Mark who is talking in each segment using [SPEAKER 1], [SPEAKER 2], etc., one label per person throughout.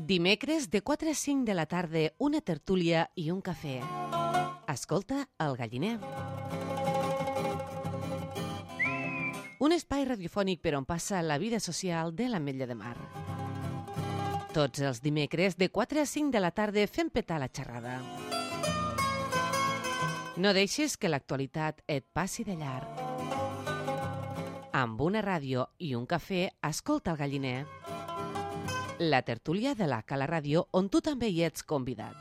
[SPEAKER 1] Dimecres de 4 a 5 de la tarda, una tertúlia i un cafè. Escolta El Galliner. Un espai radiofònic per on passa la vida social de l'Ametlla de Mar. Tots els dimecres de 4 a 5 de la tarda fem petar la xerrada. No deixis que l'actualitat et passi de llarg. Amb una ràdio i un cafè, escolta El Galliner. La tertúlia de la Cala Ràdio, on tu també hi ets convidat.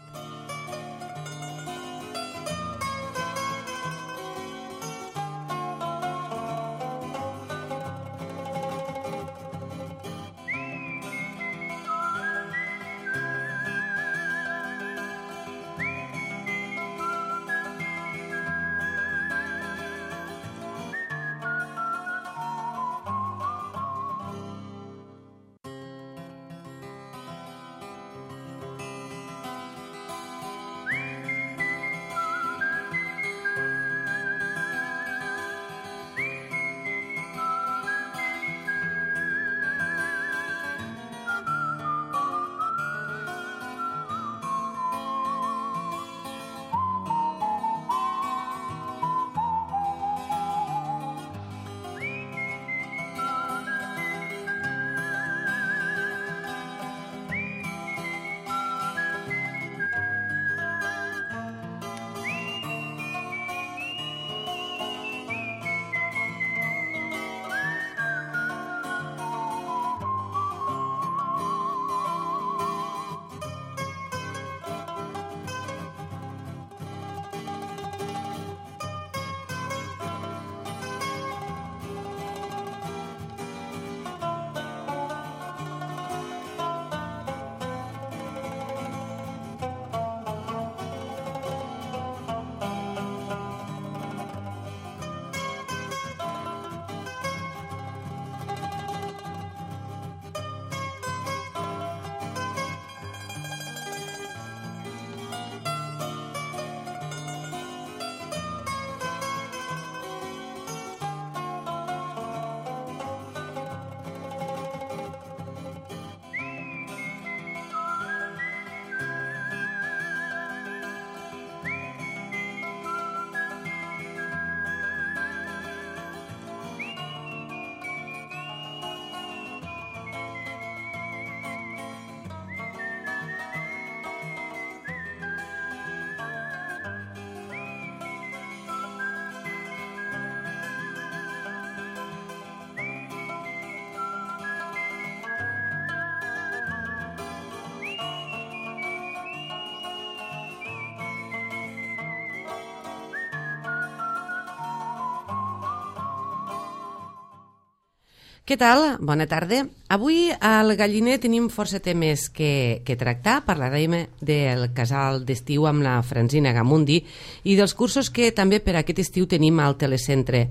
[SPEAKER 1] Què tal? Bona tarda. Avui al Galliner tenim força temes que tractar. Parlarem del casal d'estiu amb la Francina Gamundi i dels cursos que també per aquest estiu tenim al telecentre.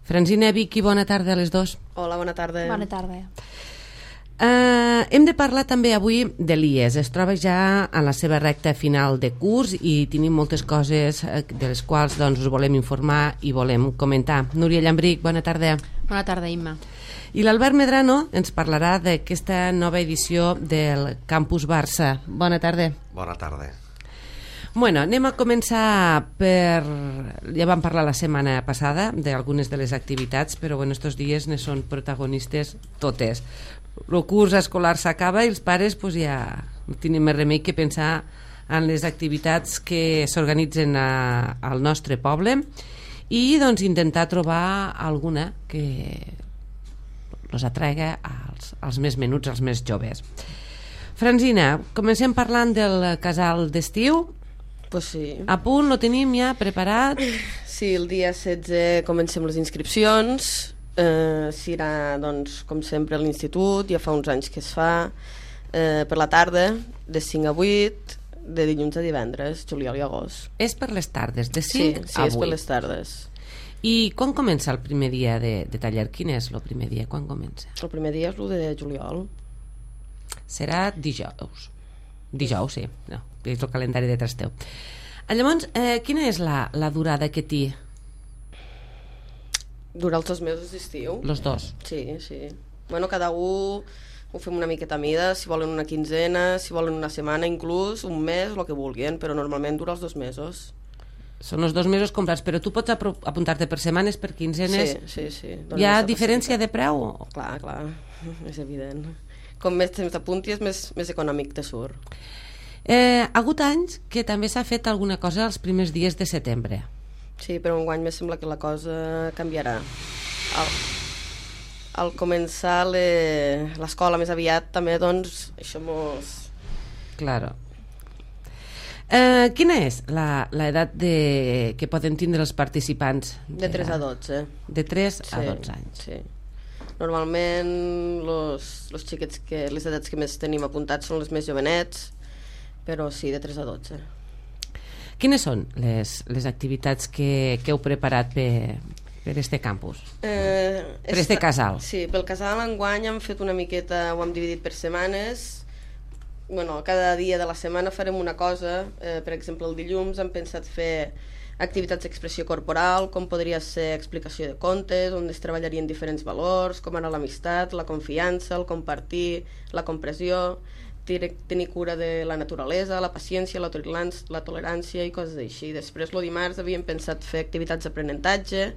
[SPEAKER 1] Francina, Vicky, bona tarda a les dos.
[SPEAKER 2] Hola, bona tarda.
[SPEAKER 3] Bona tarda.
[SPEAKER 1] Hem de parlar també avui de l'IES. Es troba ja en la seva recta final de curs i tenim moltes coses de les quals doncs, us volem informar i volem comentar. Núria Llambric, bona tarda.
[SPEAKER 3] Bona tarda, Imma.
[SPEAKER 1] I l'Albert Medrano ens parlarà d'aquesta nova edició del Campus Barça. Bona tarda.
[SPEAKER 4] Bona tarda.
[SPEAKER 1] Bueno, anem a començar per... Ja vam parlar la setmana passada d'algunes de les activitats, però bueno, estos dies ne són protagonistes totes. El curs escolar s'acaba i els pares pues, ja no tenen més remei que pensar en les activitats que s'organitzen al nostre poble i doncs intentar trobar alguna que els atrega als més menuts, als més joves. Francina, comencem parlant del casal d'estiu.
[SPEAKER 2] Pues sí.
[SPEAKER 1] A punt, lo tenim ja preparat?
[SPEAKER 2] Sí, el dia 16 comencem les inscripcions. Serà, doncs, com sempre, a l'institut. Ja fa uns anys que es fa. Per la tarda, de 5 a 8, de dilluns a divendres, juliol i agost.
[SPEAKER 1] És per les tardes, de 5 a 8?
[SPEAKER 2] Sí, és per les tardes.
[SPEAKER 1] I quan comença el primer dia de taller? Quin és el primer dia? Quan comença?
[SPEAKER 2] El primer dia és el de juliol.
[SPEAKER 1] Serà dijous. Dijous, sí. No, és el calendari de Trasteu. Llavors, quina és la durada que té?
[SPEAKER 2] Durar els 2 mesos d'estiu.
[SPEAKER 1] Los dos?
[SPEAKER 2] Sí, sí. Bueno, cada un ho fem una miqueta a mida, si volen una quinzena, si volen una setmana, inclús un mes, el que vulguin, però normalment dura els 2 mesos.
[SPEAKER 1] Són els 2 mesos comprats, però tu pots apuntar-te per setmanes, per quinzenes?
[SPEAKER 2] Sí.
[SPEAKER 1] Hi ha diferència de preu?
[SPEAKER 2] Clar, és evident. Com més temps t'apuntis, més econòmic te surt.
[SPEAKER 1] Ha hagut anys que també s'ha fet alguna cosa els primers dies de setembre.
[SPEAKER 2] Sí, però enguany me sembla que la cosa canviarà. Al començar l'escola més aviat també, doncs, això mos...
[SPEAKER 1] Claro. Quina és l'edat que poden tindre els participants?
[SPEAKER 2] De 3 a 12.
[SPEAKER 1] De 3 a 12 anys.
[SPEAKER 2] Sí. Normalment los xiquets les edats que més tenim apuntats són les més jovenets, però sí, de 3 a 12.
[SPEAKER 1] Quines són les activitats que heu preparat per este campus? Per este casal?
[SPEAKER 2] Sí, pel casal enguany hem fet una miqueta, ho hem dividit per setmanes. Bueno, cada dia de la setmana farem una cosa. Per exemple, el dilluns hem pensat fer activitats d'expressió corporal, com podria ser explicació de contes, on es treballarien diferents valors, com ara l'amistat, la confiança, el compartir, la compressió, tenir cura de la naturalesa, la paciència, la tolerància i coses així. Després, el dimarts, havíem pensat fer activitats d'aprenentatge,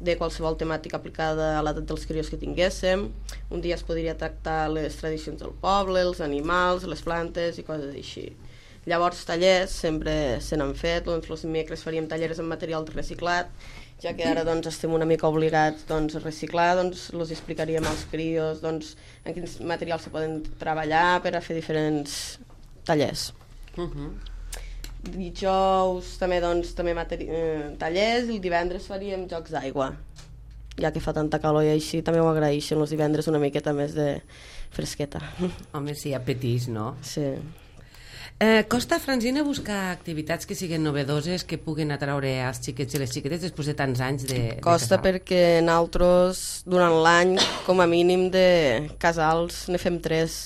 [SPEAKER 2] de qualsevol temàtica aplicada a l'edat dels crios que tinguéssim. Un dia es podria tractar les tradicions del poble, els animals, les plantes i coses així. Llavors, tallers sempre se n'han fet. Doncs, els dimecres faríem tallers amb material reciclat, ja que ara doncs, estem una mica obligats doncs, a reciclar, doncs els explicaríem als crios doncs, en quins materials se poden treballar per a fer diferents tallers. Dijous també, doncs, tallers, i el divendres faríem jocs d'aigua, ja que fa tanta calor i així també ho agraeixen els divendres una miqueta més de fresqueta.
[SPEAKER 1] Home, sí, apetís, no?
[SPEAKER 2] Sí.
[SPEAKER 1] Costa, Francina, buscar activitats que siguin novedoses, que puguen atraure els xiquets i les xiquetes després de tants anys de
[SPEAKER 2] Costa
[SPEAKER 1] casal?
[SPEAKER 2] Perquè nosaltres durant l'any com a mínim de casals ne fem 3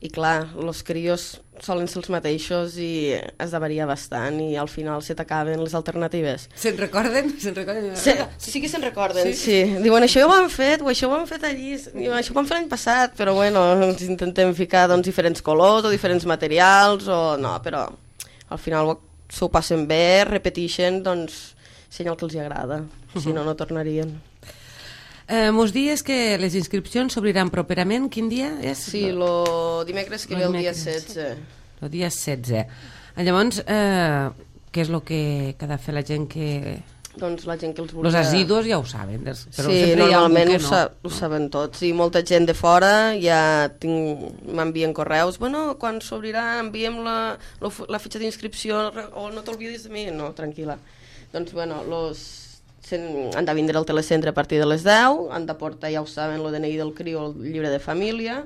[SPEAKER 2] i clar, els crios solen ser els mateixos i has de variar bastant i al final se t'acaben les alternatives.
[SPEAKER 1] Se'n recorden?
[SPEAKER 2] Sí que se'n recorden, sí. Diuen, això ho han fet, o això ho han fet allí, diuen, això ho vam fer l'any passat, però bueno, ens intentem ficar doncs, diferents colors o diferents materials, o no, però al final s'ho passen bé, repeteixen, doncs senyal que els agrada, si no, no tornarien.
[SPEAKER 1] Mos dies que les inscripcions s'obriran properament. Quin dia és?
[SPEAKER 2] Sí, el dimecres que ve el dia 16.
[SPEAKER 1] El dia 16. Llavors, què és el que ha de fer la gent que...
[SPEAKER 2] Doncs la gent que els vulgui...
[SPEAKER 1] Els assidus ja ho saben. Però
[SPEAKER 2] sí, normalment ho saben tots. I molta gent de fora ja m'envien correus. Bueno, quan s'obrirà enviem la fitxa d'inscripció o no t'olvidis de mi. No, tranquil·la. Doncs, bueno, han de vindre al telecentre a partir de les 10, han de portar, ja ho saben, el DNI del criu, el llibre de família,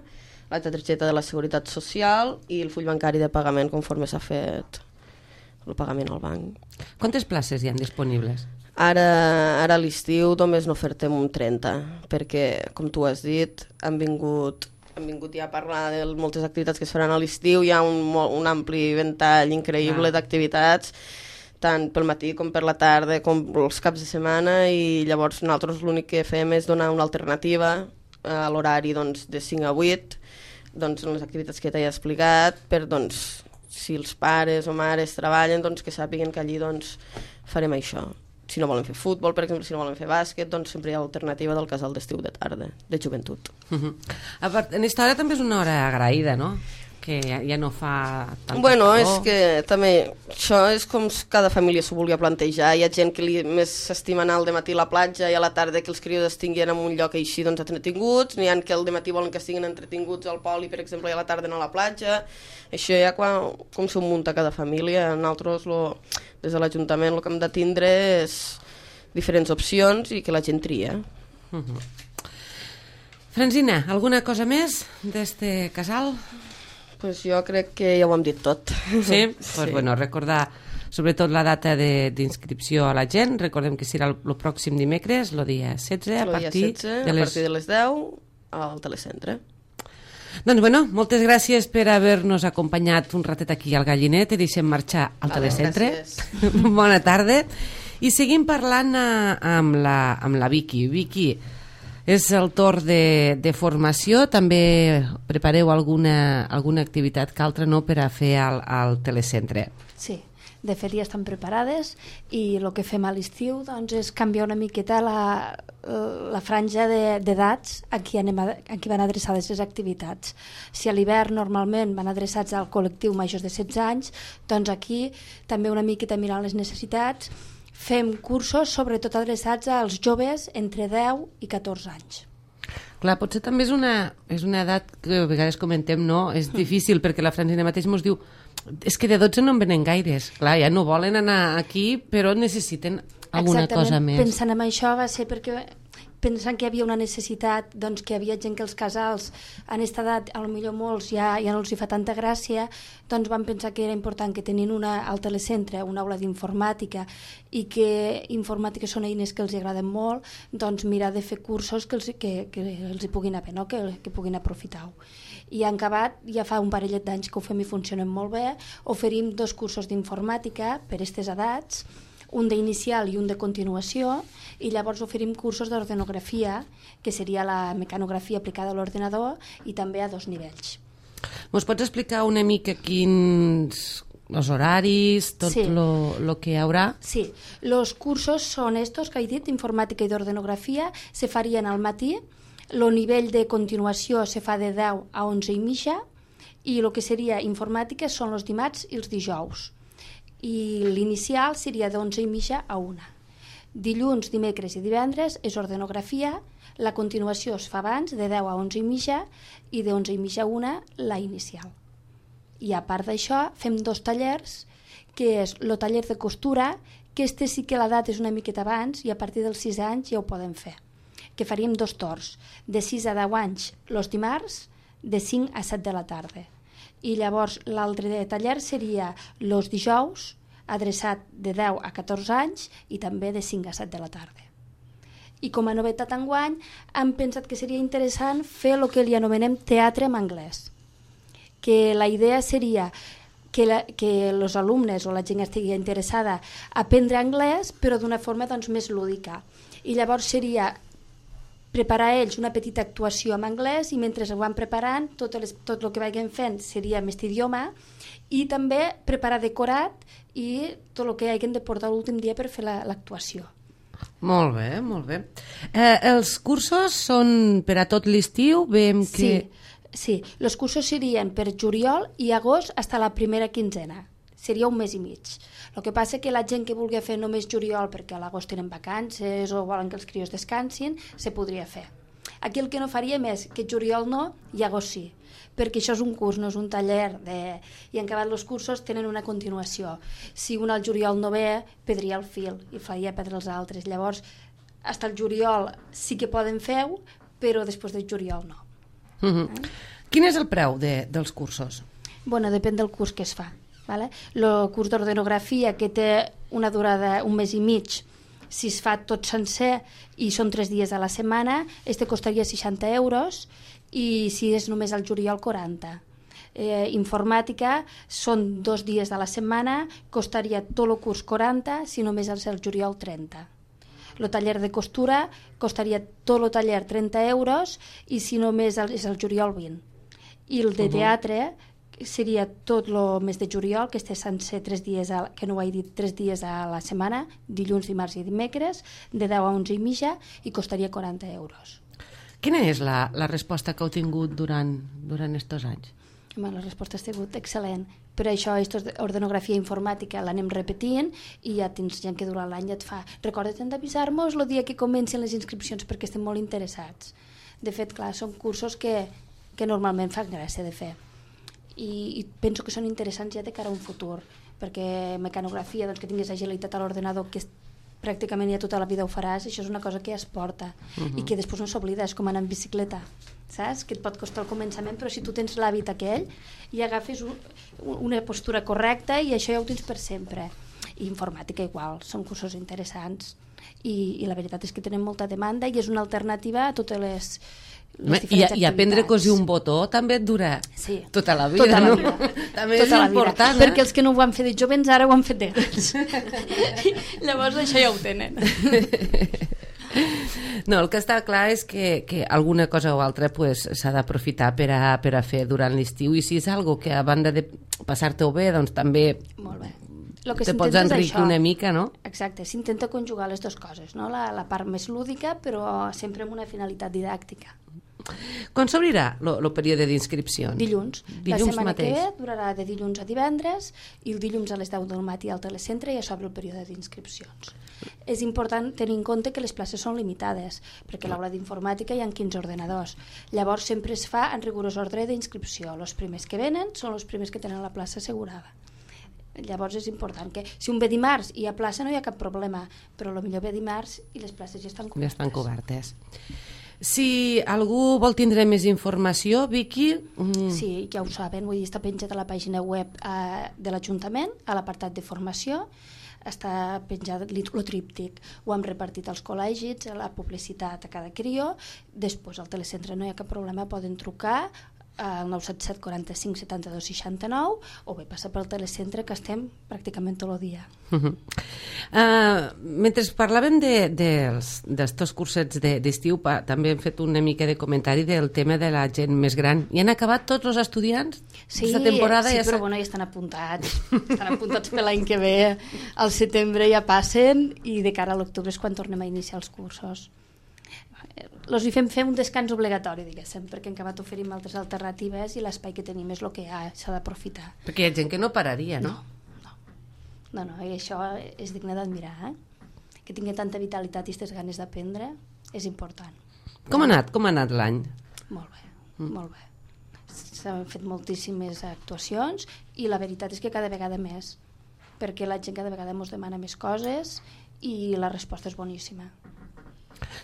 [SPEAKER 2] la targeta de la Seguretat Social i el full bancari de pagament conforme s'ha fet el pagament al banc.
[SPEAKER 1] Quantes places hi ha disponibles?
[SPEAKER 2] Ara a l'estiu només n'ofertem un 30, perquè, com tu has dit, han vingut ja a parlar de moltes activitats que es faran a l'estiu, hi ha un ampli ventall increïble d'activitats, tant pel matí com per la tarda, com els caps de setmana, i llavors nosaltres l'únic que fem és donar una alternativa a l'horari doncs, de 5 a 8, doncs, en les activitats que t'he explicat, per doncs, si els pares o mares treballen, doncs, que sàpiguen que allí doncs, farem això. Si no volen fer futbol, per exemple, si no volen fer bàsquet, doncs sempre hi ha l'alternativa del casal d'estiu de tarda, de joventut.
[SPEAKER 1] En aquesta hora també és una hora agraïda, no? Que ja no fa tanta
[SPEAKER 2] bueno,
[SPEAKER 1] calor.
[SPEAKER 2] És que també això és com cada família s'ho volia plantejar. Hi ha gent que més s'estima anar al dematí a la platja i a la tarda que els crios estiguin en un lloc així doncs, entretinguts, n'hi ha que al dematí volen que estiguin entretinguts al poli, per exemple, i a la tarda anar a la platja. Això ja com s'ho munta cada família. Nosaltres des de l'Ajuntament el que hem de tindre és diferents opcions i que la gent tria.
[SPEAKER 1] Francina, alguna cosa més d'este casal?
[SPEAKER 2] Pues jo crec que ja ho hem dit tot.
[SPEAKER 1] Sí? Pues bueno, recordar sobretot la data d'inscripció a la gent. Recordem que serà el pròxim dimecres, el dia 16, a partir de les
[SPEAKER 2] 10 al telecentre.
[SPEAKER 1] Doncs bueno, moltes gràcies per haver-nos acompanyat un ratet aquí al Gallinet. Te deixem marxar al telecentre. Bona tarda. I seguim parlant amb la Vicky. Vicky, És el torn de formació, també prepareu alguna activitat que altra no per a fer al telecentre.
[SPEAKER 3] Sí, de fet ja estan preparades i el que fem a l'estiu doncs, és canviar una miqueta la franja d'edats a qui van adreçades les activitats. Si a l'hivern normalment van adreçats al col·lectiu majors de 16 anys, doncs aquí també una miqueta mirant les necessitats fem cursos sobretot adreçats als joves entre 10 i 14 anys.
[SPEAKER 1] Clar, potser també és una edat que a vegades comentem, no? És difícil perquè la Francina mateix ens diu és que de 12 no en venen gaires. Clar, ja no volen anar aquí, però necessiten alguna cosa més.
[SPEAKER 3] Pensant en això va ser perquè pensant que hi havia una necessitat, doncs que hi havia gent que els casals en aquesta edat, potser molts ja no els hi fa tanta gràcia, doncs van pensar que era important que tenint al telecentre una aula d'informàtica i que informàtica són eines que els agraden molt, doncs mirar de fer cursos que els hi puguin haver, no? que puguin aprofitar-ho. I en acabat, ja fa un parellet d'anys que ho fem i funcionen molt bé, oferim 2 cursos d'informàtica per a aquestes edats, un d'inicial i un de continuació, i llavors oferim cursos d'ordenografia, que seria la mecanografia aplicada a l'ordenador, i també a 2 nivells.
[SPEAKER 1] Mos pots explicar una mica quins els horaris, tot lo que hi haurà?
[SPEAKER 3] Sí, els cursos són estos que he dit, informàtica i d'ordenografia, se farien al matí, el nivell de continuació se fa de 10 a 11 i mitja, i el que seria informàtica són els dimarts i els dijous. I l'inicial seria d'11 i mitja a 1. Dilluns, dimecres i divendres és ordenografia, la continuació es fa abans, de 10 a 11 i mitja, i de 11 i mitja a 1 la inicial. I a part d'això fem 2 tallers, que és el taller de costura, que sí que l'edat és una miqueta abans i a partir dels 6 anys ja ho podem fer, que faríem 2 torns, de 6 a 10 anys els dimarts, de 5 a 7 de la tarda. I llavors l'altre taller seria els dijous, adreçat de 10 a 14 anys i també de 5 a 7 de la tarda. I com a novetat enguany hem pensat que seria interessant fer el que li anomenem teatre en anglès, que la idea seria que els alumnes o la gent que estigui interessada a aprendre anglès però d'una forma doncs, més lúdica. I llavors seria preparar ells una petita actuació en anglès i mentre ho van preparant tot el que vagin fent seria en aquest idioma i també preparar decorat i tot el que hagin de portar l'últim dia per fer l'actuació.
[SPEAKER 1] Molt bé, molt bé. Els cursos són per a tot l'estiu? Veiem que...
[SPEAKER 3] Sí, els cursos serien per juliol i agost fins a la primera quinzena. Seria un mes i mig. El que passa que la gent que vulgui fer només juliol perquè a l'agost tenen vacances o volen que els crios descansin, se podria fer. Aquí el que no faríem és que juliol no i agost sí, perquè això és un curs, no és un taller i en acabat els cursos tenen una continuació. Si un al juliol no ve, perdria el fil i faria perdre els altres. Llavors, fins al juliol sí que poden fer-ho, però després del juliol no.
[SPEAKER 1] Quin és el preu dels cursos?
[SPEAKER 3] Bueno, depèn del curs que es fa. El curs d'ordenografia que té una durada un mes i mig, si es fa tot sencer i són 3 dies a la setmana, costaria 60 euros i si és només al juliol 40. Informàtica són 2 dies a la setmana, costaria tot el curs 40, si només és el juliol 30. El taller de costura costaria tot el taller 30 euros i si només és el juliol 20. I el de teatre seria tot el mes de juliol, que sencer 3 dies, que no ho he dit, 3 dies a la setmana, dilluns, dimarts i dimecres, de 10 a 11 i mitja, i costaria 40 euros.
[SPEAKER 1] Quina és la resposta que heu tingut durant aquests anys?
[SPEAKER 3] La resposta ha sigut excel·lent. Per això, ordenografia informàtica l'anem repetint i ja tens gent que durant l'any et fa recorda't d'avisar-nos el dia que comencen les inscripcions perquè estem molt interessats. De fet, clar, són cursos que normalment fan gràcia de fer. I penso que són interessants ja de cara a un futur, perquè mecanografia, doncs, que tinguis agilitat a l'ordenador, que pràcticament ja tota la vida ho faràs, això és una cosa que ja es porta i que després no s'oblida, és com anar en bicicleta, saps? Que et pot costar al començament, però si tu tens l'hàbit aquell i agafes una postura correcta i això ja ho tens per sempre. I informàtica igual, són cursos interessants i la veritat és que tenen molta demanda i és una alternativa a totes les
[SPEAKER 1] I aprendre a cosir un botó també et dura tota la vida,
[SPEAKER 3] tota la
[SPEAKER 1] no?
[SPEAKER 3] vida.
[SPEAKER 1] També és important,
[SPEAKER 3] perquè els que no ho han fet de jovens ara ho han fet de grans. Llavors això ja ho tenen.
[SPEAKER 1] No, el que està clar és que alguna cosa o altra s'ha d'aprofitar per a fer durant l'estiu, i si és algo que a banda de passar-te-ho bé, doncs també te pots enriquir una mica, no?
[SPEAKER 3] Exacte, s'intenta conjugar les dues coses, no? La part més lúdica, però sempre amb una finalitat didàctica.
[SPEAKER 1] Quan s'obrirà el període d'inscripcions?
[SPEAKER 3] Dilluns. La setmana
[SPEAKER 1] mateix.
[SPEAKER 3] que ve durarà de dilluns a divendres, i el dilluns a les 10 del matí al telecentre ja s'obre el període d'inscripcions. És important tenir en compte que les places són limitades, perquè a l'aula d'informàtica hi ha 15 ordenadors. Llavors sempre es fa en rigorós ordre d'inscripció. Els primers que venen són els primers que tenen la plaça assegurada. Llavors és important que si un ve dimarts i hi ha plaça no hi ha cap problema, però potser ve dimarts i les places ja estan cobertes.
[SPEAKER 1] Ja estan cobertes. Si algú vol tindre més informació, Vicky...
[SPEAKER 3] Sí, ja ho saben, vull dir, està penjat a la pàgina web de l'Ajuntament, a l'apartat de formació, està penjat el tríptic, ho hem repartit als col·legis, la publicitat a cada crió, després al telecentre no hi ha cap problema, poden trucar al 977 45 72 69 o bé passar pel telecentre, que estem pràcticament tot el dia.
[SPEAKER 1] Mentre parlàvem d'estos cursets d'estiu, també hem fet una mica de comentari del tema de la gent més gran. I han acabat tots els estudiants?
[SPEAKER 3] Sí, però bueno, ja estan apuntats per l'any que ve, al setembre ja passen, i de cara a l'octubre és quan tornem a iniciar els cursos. Els hi fem un descans obligatori, diguéssim, perquè hem acabat oferint altres alternatives i l'espai que tenim és el que s'ha d'aprofitar.
[SPEAKER 1] Perquè hi ha gent que no pararia, no?
[SPEAKER 3] No, i això és digne d'admirar, que tingui tanta vitalitat i aquestes ganes d'aprendre és important.
[SPEAKER 1] Com ha anat l'any?
[SPEAKER 3] Molt bé. S'han fet moltíssimes actuacions i la veritat és que cada vegada més, perquè la gent cada vegada ens demana més coses i la resposta és boníssima.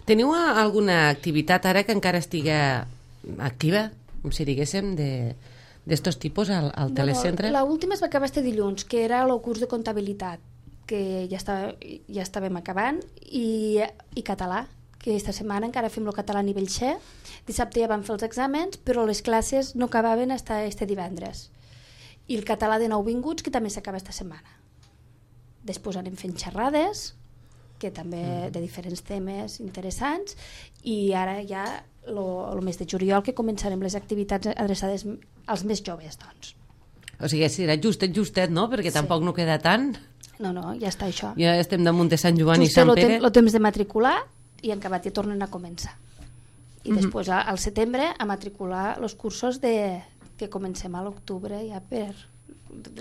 [SPEAKER 1] Teniu alguna activitat ara que encara estiga activa, com si diguéssim, d'estos tipus al telecentre?
[SPEAKER 3] L'última es va acabar este dilluns, que era el curs de comptabilitat, que ja estàvem acabant, i català, que aquesta setmana encara fem el català a nivell C. Dissabte ja vam fer els exàmens, però les classes no acabaven fins este divendres. I el català de nouvinguts, que també s'acaba aquesta setmana. Després anem fent xerrades, que també de diferents temes interessants, i ara ja el mes de juliol que començarem les activitats adreçades als més joves, doncs.
[SPEAKER 1] O sigui, serà justet, no? Perquè tampoc no queda tant.
[SPEAKER 3] No, ja està això.
[SPEAKER 1] Ja estem damunt de Sant Joan i Sant Pere.
[SPEAKER 3] El temps de matricular i en acabat ja tornen a començar. I després al setembre a matricular els cursos que comencem a l'octubre ja per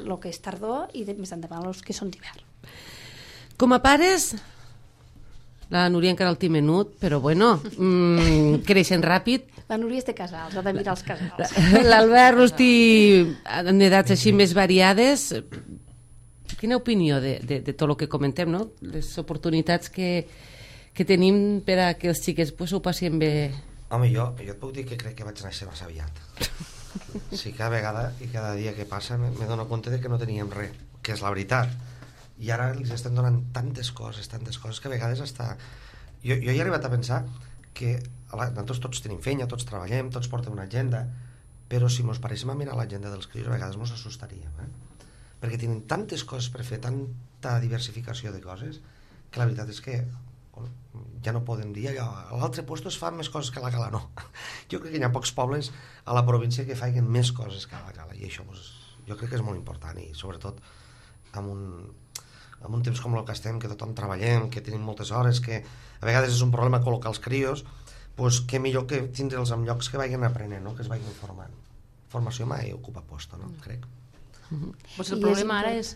[SPEAKER 3] el que és tardor i més endavant els que són d'hivern.
[SPEAKER 1] Com a pares... La Núria encara el té menut, però bueno, creixen ràpid.
[SPEAKER 3] La Núria és de casals, ha de mirar els casals.
[SPEAKER 1] L'Albert Rosti, en edats així més variades, quina opinió de tot el que comentem, no? Les oportunitats que tenim per a que els xiquets ho passin bé.
[SPEAKER 4] Home, jo et puc dir que crec que vaig néixer massa aviat. Sí, cada vegada i cada dia que passa me dono compte de que no teníem res, que és la veritat. I ara els estem donant tantes coses que a vegades hasta... Jo he arribat a pensar que nosaltres tots tenim feina, tots treballem, tots portem una agenda, però si mos paréssim a mirar l'agenda dels crios a vegades mos assustaríem, perquè tenen tantes coses per fer, tanta diversificació de coses, que la veritat és que ja no podem dir allò, a l'altre lloc es fan més coses que a la Cala, no. Jo crec que hi ha pocs pobles a la província que facin més coses que a la Cala, i això jo crec que és molt important, i sobretot amb un temps com el que estem, que tothom treballem, que tenim moltes hores, que a vegades és un problema col·locar els crios, doncs què millor que tindre'ls en llocs que vagin aprenent, no? Que es vagin formant. Formació mai ocupa posto, no? Crec.
[SPEAKER 5] Pues el problema ara és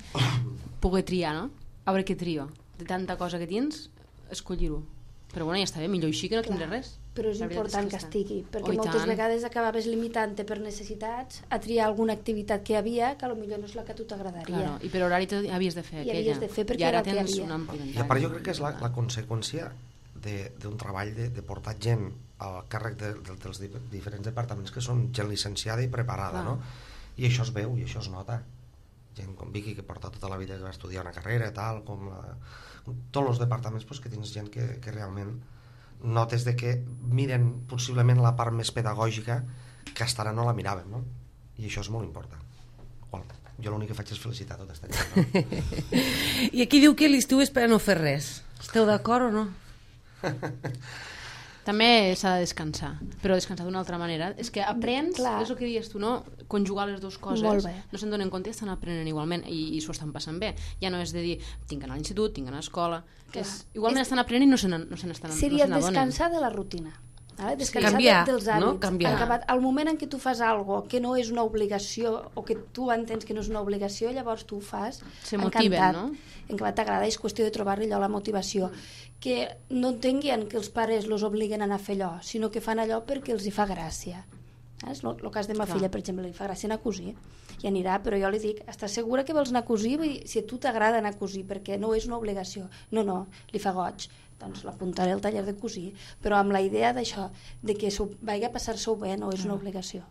[SPEAKER 5] poder triar, no? A veure què trio. De tanta cosa que tens, escollir-ho. Però bueno, ja està bé, millor així que no tindré res.
[SPEAKER 3] Però és important que estigui, perquè moltes vegades acabaves limitant-te per necessitats a triar alguna activitat que hi havia que potser no és la que a tu t'agradaria.
[SPEAKER 5] Claro, i per horari havies de fer aquella.
[SPEAKER 3] I havies de fer perquè era el que hi havia.
[SPEAKER 4] I a part jo crec que és la conseqüència d'un treball de portar gent al càrrec dels diferents departaments que són gent licenciada i preparada, no? I això es veu i això es nota. Gent com Vicky, que porta tota la vida, que va estudiar una carrera, tal, com tots els departaments, que tens gent que realment notes de que miren possiblement la part més pedagògica que hasta ara no la miràvem, no? I això és molt important. Jo l'únic que faig és felicitar tota aquesta gent, no?
[SPEAKER 1] I aquí diu que l'estiu és per a no fer res. Esteu d'acord o no?
[SPEAKER 5] També s'ha de descansar, però descansar d'una altra manera. És que aprens,
[SPEAKER 3] Clar.
[SPEAKER 5] és el que dius tu, no? Conjugar les dues coses.
[SPEAKER 3] Molt bé.
[SPEAKER 5] No se'n donen compte i estan aprenent igualment i s'ho estan passant bé. Ja no és de dir, tinc que anar a l'institut, tinc que anar a l'escola. Igualment estan aprenent i no se n'adonen.
[SPEAKER 3] Seria descansar de la rutina. Descansar
[SPEAKER 1] Canviar,
[SPEAKER 3] dels hàbits.
[SPEAKER 1] no? Canviar.
[SPEAKER 3] Al moment en què tu fas algo que no és una obligació o que tu entens que no és una obligació, llavors tu ho fas
[SPEAKER 5] Se motiven,
[SPEAKER 3] encantat,
[SPEAKER 5] no?
[SPEAKER 3] encantat, t'agrada, és qüestió de trobar-li allò la motivació. Que no entenguin que els pares els obliguen a anar a fer allò, sinó que fan allò perquè els hi fa gràcia. És el cas de ma filla, per exemple, li fa gràcia anar a cosir i anirà, però jo li dic, estàs segura que vols anar a cosir? Vull dir, si a tu t'agrada anar a cosir, perquè no és una obligació. No, li fa goig, doncs l'apuntaré al taller de cosir, però amb la idea d'això, de que vagi a passar-s'ho bé, no és una obligació.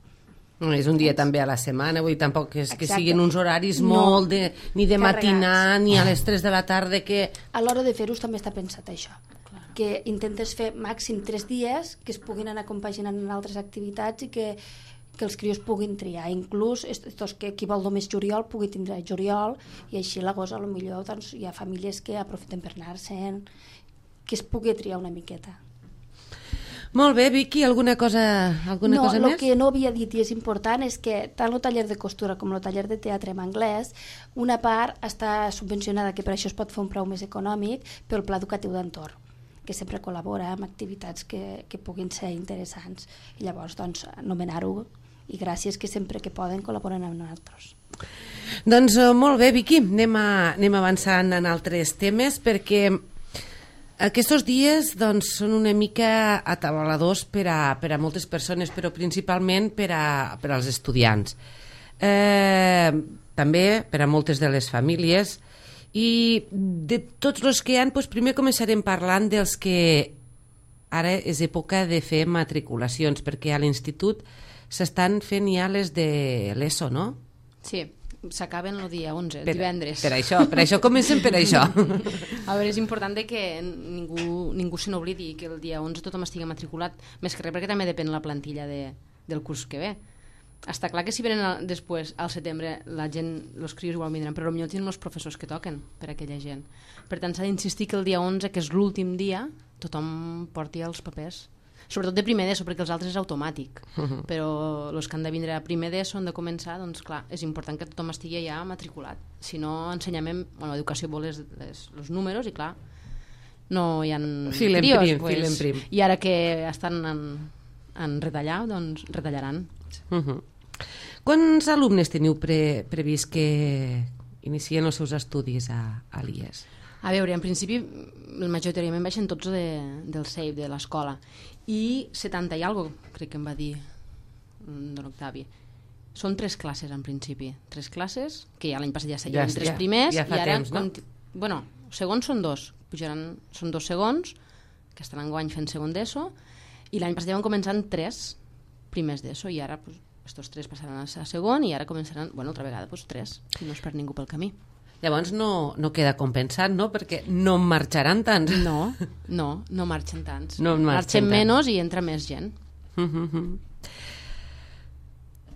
[SPEAKER 1] No, és un dia també a la setmana, vull dir, tampoc és que
[SPEAKER 3] Exacte.
[SPEAKER 1] siguin uns horaris
[SPEAKER 3] No.
[SPEAKER 1] molt ni de
[SPEAKER 3] Carregats.
[SPEAKER 1] matinar, ni a les 3 de la tarda, que...
[SPEAKER 3] A l'hora de fer-ho també està pensat això, que intentes fer màxim 3 dies, que es puguin anar compaginant en altres activitats i que els crios puguin triar, inclús que qui vol només juliol pugui tindre juliol i així l'agost a lo millor doncs, hi ha famílies que aprofiten per anar-se'n, que es pugui triar una miqueta.
[SPEAKER 1] Molt bé, Vicky, alguna cosa més?
[SPEAKER 3] No, el que no havia dit i és important és que tant el taller de costura com el taller de teatre en anglès, una part està subvencionada, que per això es pot fer un preu més econòmic, pel Pla Educatiu d'Entorn, que sempre col·labora amb activitats que puguin ser interessants. I llavors, doncs, anomenar-ho, i gràcies que sempre que poden col·laboren amb nosaltres.
[SPEAKER 1] Doncs molt bé, Vicky, anem avançant en altres temes, perquè aquests dies doncs, són una mica atabaladors per a moltes persones, però principalment per als estudiants. També per a moltes de les famílies. I de tots els que hi ha, doncs primer començarem parlant dels que ara és època de fer matriculacions, perquè a l'institut s'estan fent ja les de l'ESO, no?
[SPEAKER 5] Sí, s'acaben el dia 11, divendres.
[SPEAKER 1] Per això comencem per això.
[SPEAKER 5] A veure, és important que ningú se n'oblidi que el dia 11 tothom estigui matriculat, més que res perquè també depèn la plantilla del curs que ve. Està clar que si venen després, al setembre, la gent, els crios igual vindran, però potser tenen els professors que toquen per a aquella gent. Per tant, s'ha d'insistir que el dia 11, que és l'últim dia, tothom porti els papers. Sobretot de primer d'ESO, perquè els altres és automàtic. Però els que han de vindre a primer d'ESO han de començar, doncs clar, és important que tothom estigui ja matriculat. Si no, ensenyament, educació vol els números i clar, no hi ha crios.
[SPEAKER 1] Fil en prim.
[SPEAKER 5] I ara que estan en retallar, doncs retallaran.
[SPEAKER 1] Quants alumnes teniu previst que inicien els seus estudis a l'IES?
[SPEAKER 5] A veure, en principi, majoritàriament baixen tots del CEIP, de l'escola, i 70 i alguna cosa, crec que em va dir don Octavi. Són 3 classes, en principi. 3 classes, que ja l'any passat ja seguien 3 primers,
[SPEAKER 1] ja fa
[SPEAKER 5] i ara,
[SPEAKER 1] temps, no?
[SPEAKER 5] Bueno, segons són 2, són 2 segons, que estan enguany fent segon d'ESO, i l'any passat ja van començar 3 primers d'ESO, i ara, estos 3 passaran a segon, i ara començaran, altra vegada, 3, si no es perd ningú pel camí.
[SPEAKER 1] Llavors no queda compensat, no? Perquè no marxaran tants.
[SPEAKER 5] No marxen tants.
[SPEAKER 1] No
[SPEAKER 5] marxen menys i entra més gent.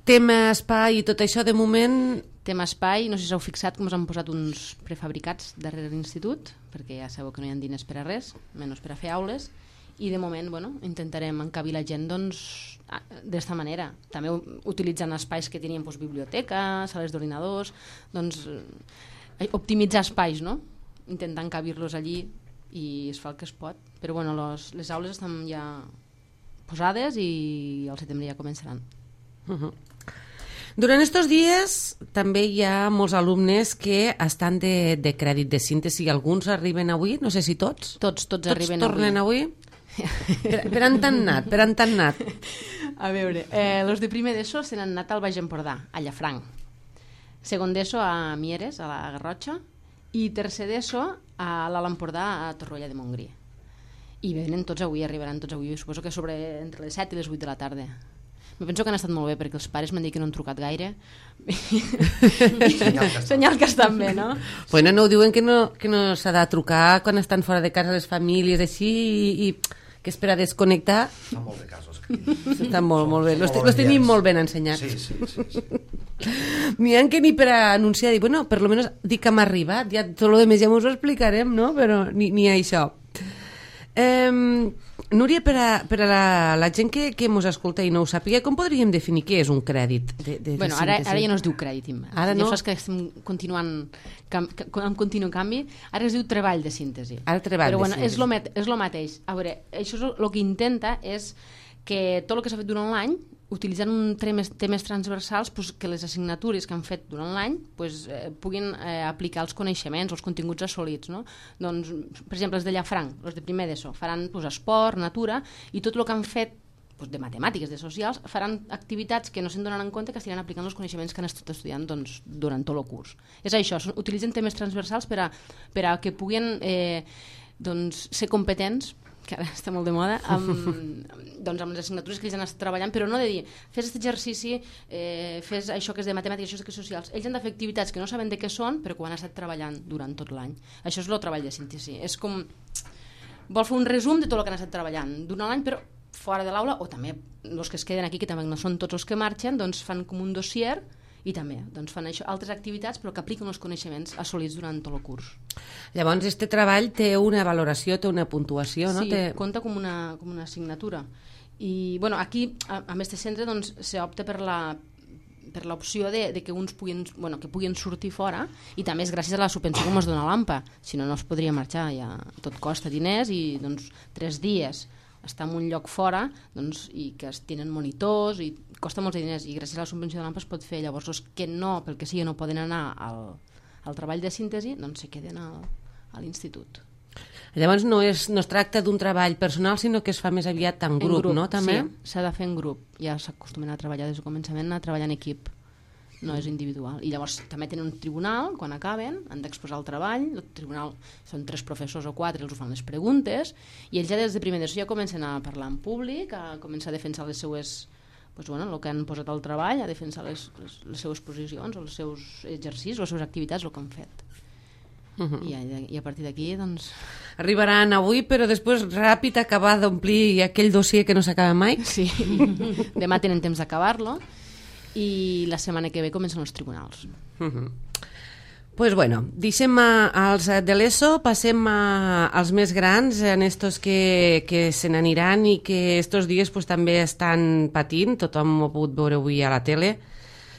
[SPEAKER 1] Tema espai i tot això, de moment...
[SPEAKER 5] Tema espai, no sé si us heu fixat com us han posat uns prefabricats darrere l'institut, perquè ja sabeu que no hi ha diners per a res, menys per a fer aules, i de moment intentarem encabir la gent d'esta manera. També utilitzant espais que tenien biblioteca, sales d'ordinadors, optimitzar espais, no? Intentar encabir-los allí i es fa el que es pot. Però les aules estan ja posades i al setembre ja començaran.
[SPEAKER 1] Durant estos dies també hi ha molts alumnes que estan de crèdit de síntesi. Alguns arriben avui, no sé si tots.
[SPEAKER 5] Tots arriben avui.
[SPEAKER 1] Tots tornen avui? Per on t'han anat?
[SPEAKER 5] A veure, els de primer d'ESO se n'han anat al Baix Empordà, a Llafranc. Segon d'ESO a Mieres, a la Garrotxa, i tercer d'ESO a l'Alt Empordà, a Torroella de Montgrí. I venen tots avui, arribaran tots avui, suposo que entre les 7 i les 8 de la tarda. Me penso que han estat molt bé, perquè els pares m'han dit que no han trucat gaire. Senyal que estan bé, no?
[SPEAKER 1] Bueno, no ho diuen que no s'ha de trucar quan estan fora de casa les famílies, així, i que és per a desconnectar.
[SPEAKER 4] Fa molt de casos.
[SPEAKER 1] Estan molt bé, los tenim molt ben ensenyats.
[SPEAKER 4] Sí.
[SPEAKER 1] N'hi ha que ni per a anunciar, dir, bueno, per lo menos dir que hem arribat, ja tot el més ja us ho explicarem, no? Però ni això. Núria, per a la gent que mos escolta i no ho sàpiga, com podríem definir què és un crèdit de
[SPEAKER 5] Bueno, ara ja no es diu crèdit, Imma.
[SPEAKER 1] Ara no?
[SPEAKER 5] Ja saps que estem continuant amb continu canvi. Ara es diu treball de síntesi.
[SPEAKER 1] Ara treball
[SPEAKER 5] Però
[SPEAKER 1] de
[SPEAKER 5] bueno,
[SPEAKER 1] síntesi.
[SPEAKER 5] és lo mateix. A veure, això el que intenta és que tot el que s'ha fet durant l'any, utilitzant temes transversals, pues, que les assignatures que han fet durant l'any pues, puguin aplicar els coneixements, els continguts assolits. No? Doncs, per exemple, els de Llafranc, els de primer d'ESO, faran pues, esport, natura, i tot el que han fet de matemàtiques, de socials, faran activitats que no se'n donaran en compte, que estiran aplicant els coneixements que han estat estudiant doncs, durant tot el curs. És això, utilitzen temes transversals per a que puguin doncs, ser competents, que ara està molt de moda, doncs amb les assignatures que ells han estat treballant, però no de dir, fes aquest exercici, fes això que és de matemàtiques, això que és socials. Ells han de fer activitats que no saben de què són, però que ho han estat treballant durant tot l'any. Això és el treball de síntesi. És com... Vol fer un resum de tot el que han estat treballant durant l'any, però fora de l'aula, o també els que es queden aquí, que també no són tots els que marxen, doncs fan com un dossier i també doncs fan això, altres activitats però que apliquen els coneixements assolits durant tot el curs.
[SPEAKER 1] Llavors, este treball té una valoració, té una puntuació, no?
[SPEAKER 5] Sí, compta com una assignatura. I bueno, aquí, a este centre, doncs, s'opta per l'opció de que uns puguin sortir fora, i també és gràcies a la subvenció que ens dona l'AMPA, si no, no es podria marxar, ja tot costa diners i doncs 3 dies estar en un lloc fora doncs, i que es tenen monitors i costa molts diners, i gràcies a la subvenció de l'AMPA es pot fer. Llavors els que no, pel que sigui, no poden anar al treball de síntesi, doncs se queden a l'institut.
[SPEAKER 1] Llavors no es tracta d'un treball personal, sinó que es fa més aviat en grup, no? També?
[SPEAKER 5] Sí, s'ha de fer en grup. Ja s'acostumen a treballar des del començament, a treballar en equip. No és individual. I llavors també tenen un tribunal, quan acaben, han d'exposar el treball, el tribunal són 3 professors o 4, els ho fan les preguntes, i ells ja des de primer d'ESO ja comencen a parlar en públic, a començar a defensar les seues, doncs, bueno, el que han posat al treball, a defensar les seues posicions, els seus exercicis, les seves activitats, el que han fet. I a partir d'aquí, doncs...
[SPEAKER 1] Arribaran avui, però després ràpid acabar d'omplir aquell dossier que no s'acaba mai?
[SPEAKER 5] Sí, demà tenen temps d'acabar-lo, i la setmana que ve comencen els tribunals.
[SPEAKER 1] Pues bueno, deixem als de l'ESO, passem als més grans, en estos que se n'aniran i que estos dies pues, també estan patint, tothom ho ha pogut veure avui a la tele,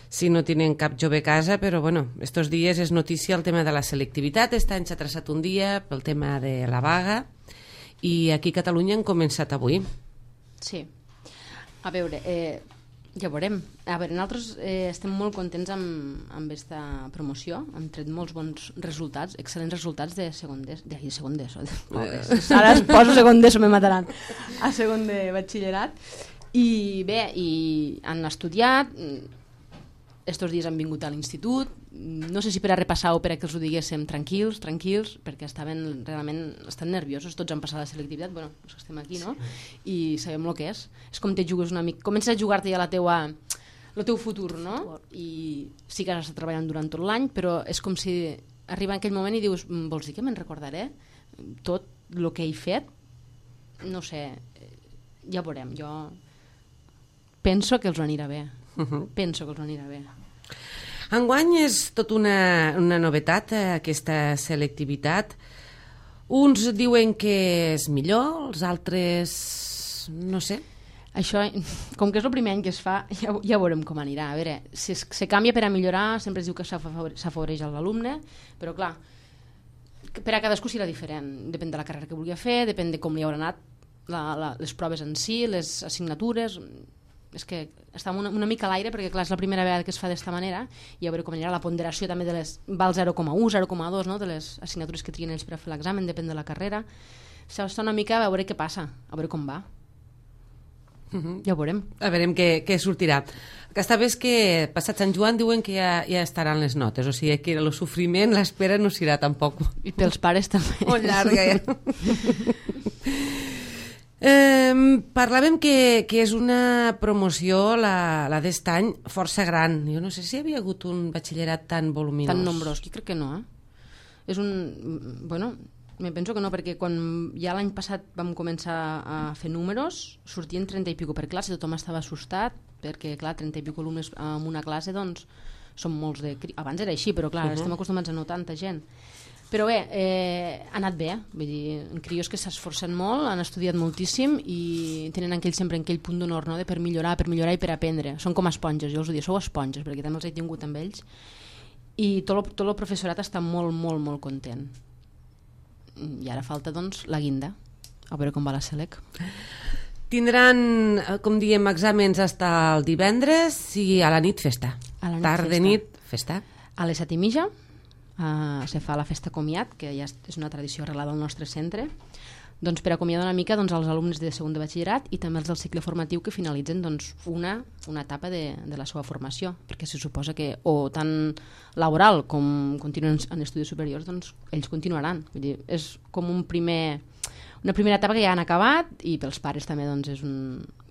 [SPEAKER 1] si no tenen cap jove a casa, però bueno, estos dies és notícia el tema de la selectivitat. Este any s'ha traçat un dia pel tema de la vaga i aquí a Catalunya han començat avui.
[SPEAKER 5] Sí. A veure, ja veurem. A veure, nosaltres estem molt contents amb aquesta promoció, hem tret molts bons resultats, excel·lents resultats de segon d'ESO. Ara es poso segon d'ESO, me mataran. A segon de batxillerat. I bé, han estudiat, estos dies han vingut a l'institut, no sé si per a repassar o per a que els ho diguéssim tranquils, perquè estan nerviosos, tots han passat la selectivitat, bueno, els que estem aquí, no? I sabem el que és. És com te jugues una mica, comences a jugar-te ja el teu futur, no? I sí que has estat treballant durant tot l'any, però és com si arriba en aquell moment i dius, vols dir que me'n recordaré? Tot el que he fet? No sé, ja veurem, jo penso que els anirà bé. Penso que els anirà bé.
[SPEAKER 1] Enguany és tot una novetat, aquesta selectivitat. Uns diuen que és millor, els altres no sé.
[SPEAKER 5] Això, com que és el primer any que es fa, ja veurem com anirà. A veure, si se canvia per a millorar, sempre es diu que s'afavoreix l'alumne, però clar, per a cadascú serà diferent. Depèn de la carrera que vulgui fer, depèn de com li haurà anat les proves en si, les assignatures. És que està una mica a l'aire, perquè clar, és la primera vegada que es fa d'esta manera, i a veure com anirà la ponderació també de les val 0,1, 0,2, no? De les assignatures que trien ells per a fer l'examen, depèn de la carrera. Està una mica a veure què passa, a veure com va. Ja ho veurem.
[SPEAKER 1] A veurem què sortirà. Aquesta vez que passat Sant Joan diuen que ja estaran les notes, o sigui que el sofriment, l'espera no serà tampoc.
[SPEAKER 5] I pels pares també.
[SPEAKER 1] Molt llarga, ja. Parlàvem que és una promoció, la d'est any, força gran. Jo no sé si hi havia hagut un batxillerat tan voluminós.
[SPEAKER 5] Tan nombrós, jo crec que no, És bueno, me penso que no, perquè quan ja l'any passat vam començar a fer números, sortien 30 i pico per classe, tothom estava assustat, perquè clar, 30 i pico alumnes en una classe, doncs, són molts de... Abans era així, però clar, estem acostumats a no tanta gent. Però bé, ha anat bé, vull dir, crios que s'esforcen molt, han estudiat moltíssim i tenen sempre aquell punt d'honor, no?, de per millorar i per aprendre. Són com esponges, jo els ho dic, sou esponges, perquè també els he tingut amb ells. I tot el professorat està molt, molt, molt content. I ara falta, doncs, la guinda, a veure com va la Selec.
[SPEAKER 1] Tindran, com diem, exàmens fins el divendres i a la nit festa. Tarda, nit, festa.
[SPEAKER 5] A les 7:30 se fa la festa comiat, que ja és una tradició arrelada al nostre centre, doncs per acomiadar una mica els alumnes de segon de batxillerat i també els del cicle formatiu que finalitzen una etapa de la seva formació, perquè se suposa que o tant laboral com continuen en estudis superiors, doncs ells continuaran. Vull dir, és com una primera etapa que ja han acabat i pels pares també doncs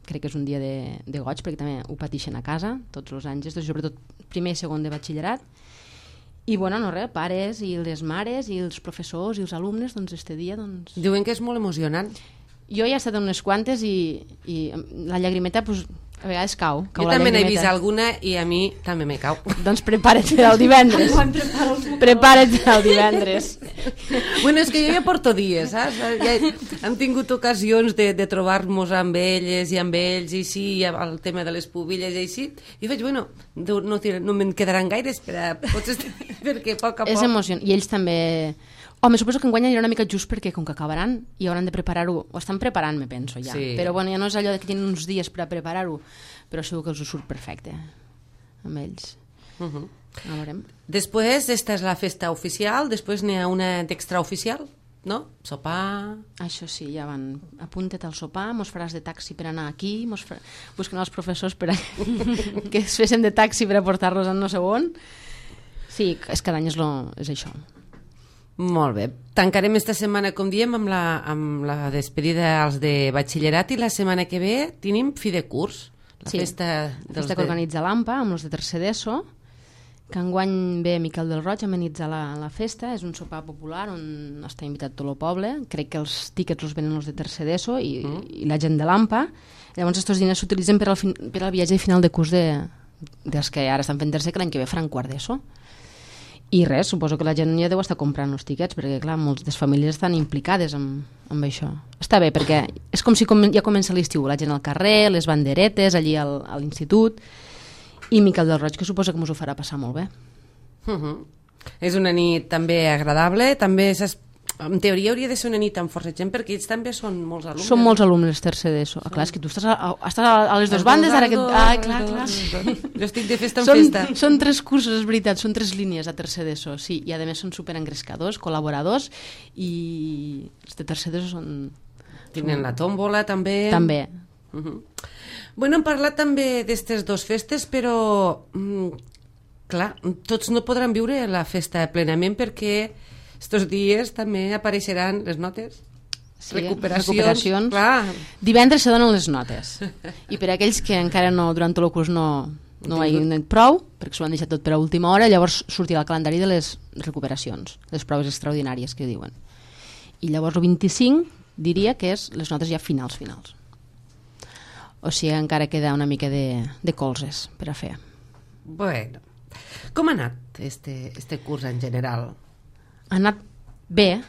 [SPEAKER 5] crec que és un dia de goig, perquè també ho pateixen a casa tots els anys, sobretot primer i segon de batxillerat. I bueno, no res, pares i les mares i els professors i els alumnes, doncs este dia doncs...
[SPEAKER 1] Diuen que és molt emocionant.
[SPEAKER 5] Jo ja he estat en unes quantes i la llagrimeta pues, a vegades cau
[SPEAKER 1] jo també n'he vist alguna i a mi també me cau.
[SPEAKER 5] Doncs prepara't el divendres. Prepara't el divendres.
[SPEAKER 1] Bueno, és que jo ja porto dies, saps? Ja hem tingut ocasions de trobar-nos amb elles i amb ells i sí, el tema de les pubilles i així, i faig, bueno, no me'n quedaran gaires perquè a poc a poc...
[SPEAKER 5] És emocionant, i ells també... Home, suposo que enguany anirà una mica just perquè com que acabaran i hauran de preparar-ho, ho estan preparant, me penso ja, sí. Però bueno, ja no és allò que tenen uns dies per a preparar-ho, però segur que els ho surt perfecte amb ells. A veurem.
[SPEAKER 1] Després, esta és la festa oficial, després n'hi ha una d'extraoficial, no? Sopar...
[SPEAKER 5] Això sí, ja van, apunta't al sopar, mos faràs de taxi per anar aquí, busquen els professors per que es fessin de taxi per a portar-los a no sé on. Sí, és cada any és això.
[SPEAKER 1] Molt bé. Tancarem esta setmana, com diem, amb la despedida als de batxillerat i la setmana que ve tenim fi de curs. La festa
[SPEAKER 5] que organitza l'AMPA amb els de tercer d'ESO, que enguany ve Miquel del Roig a amenitzar la festa. És un sopar popular on està invitat tot el poble. Crec que els tíquets els venen els de tercer d'ESO i la gent de l'AMPA. Llavors aquests diners s'utilitzen per al viatge de final de curs dels que ara estan fent tercer, que l'any que ve faran quart d'ESO. I res, suposo que la gent ja deu estar comprant els tiquets, perquè clar, moltes famílies estan implicades amb això. Està bé, perquè és com si ja comença l'estiu, la gent al carrer, les banderetes, allí a l'institut, i Miquel del Roig, que suposa que ens ho farà passar molt bé.
[SPEAKER 1] És una nit també agradable, també en teoria hauria de ser una nit amb força gent, perquè ells també són molts alumnes.
[SPEAKER 5] Són molts alumnes tercer d'ESO. Clar, és que tu estàs a les dues bandes, ara que... clar.
[SPEAKER 1] Jo estic de festa en festa.
[SPEAKER 5] Són 3 cursos, és veritat, són 3 línies a tercer d'ESO, sí, i a més són superengrescadors, col·laboradors, i els de tercer d'ESO són...
[SPEAKER 1] Tenen la tòmbola, també.
[SPEAKER 5] També.
[SPEAKER 1] Bueno, hem parlat també d'estes 2 festes, però clar, tots no podran viure la festa plenament perquè estos dies també apareixeran les notes, recuperacions. Clar.
[SPEAKER 5] Divendres se donen les notes i per aquells que encara no, durant tot el curs no hagin anat prou, perquè s'ho han deixat tot per a última hora, llavors sortirà el calendari de les recuperacions, les proves extraordinàries que diuen, i llavors el 25 diria que és les notes ja finals. O sigui, encara queda una mica de colzes per a fer.
[SPEAKER 1] Bueno, com ha anat este curs en general?
[SPEAKER 5] Ha anat bé.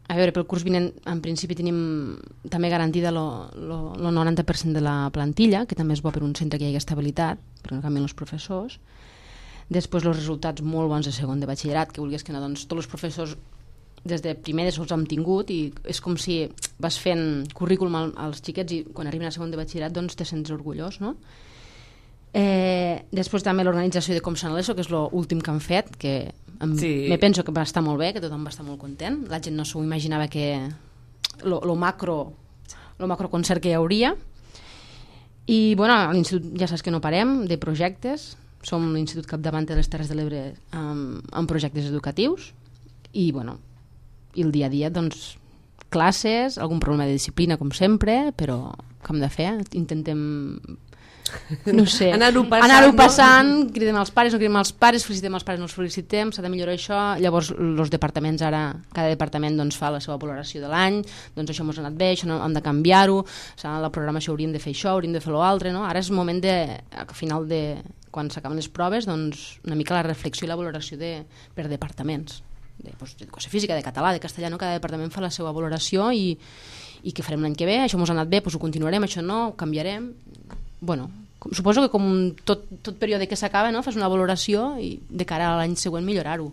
[SPEAKER 5] A veure, pel curs vinent en principi tenim també garantida el 90% de la plantilla, que també és bo per un centre que hi hagi estabilitat, perquè no canvien els professors. Després els resultats molt bons de segon de batxillerat, que vulguis que no, doncs tots els professors des de primer de sols hem tingut, i és com si vas fent currículum als xiquets i quan arriben a segon de batxillerat doncs te sents orgullós, no? Després també l'organització de Com Sant l'ESO, que és l'últim que han fet, que me penso que va estar molt bé, que tothom va estar molt content, la gent no s'ho imaginava que lo macro concert que hi hauria. I bueno, a l'institut ja saps que no parem de projectes, som l'institut capdavant de les Terres de l'Ebre amb projectes educatius, i bueno, i el dia a dia doncs classes, algun problema de disciplina com sempre, però què hem de fer? Intentem no sé, anar-ho passant, no? Cridem als pares, no cridem als pares, felicitem als pares, no els felicitem, s'ha de millorar això. Llavors els departaments ara, cada departament doncs, fa la seva valoració de l'any, doncs això ens ha anat bé, això no, hem de canviar-ho, la programació hauríem de fer això, hauríem de fer l'altre, no? Ara és el moment al final quan s'acaben les proves, doncs una mica la reflexió i la valoració per departaments. d'educació física, de català, de castellà, no? Cada departament fa la seva valoració i què farem l'any que ve, això ens ha anat bé, doncs ho continuarem, això no, ho canviarem. Bueno, suposo que com tot període que s'acaba, no? Fas una valoració i de cara a l'any següent millorar-ho.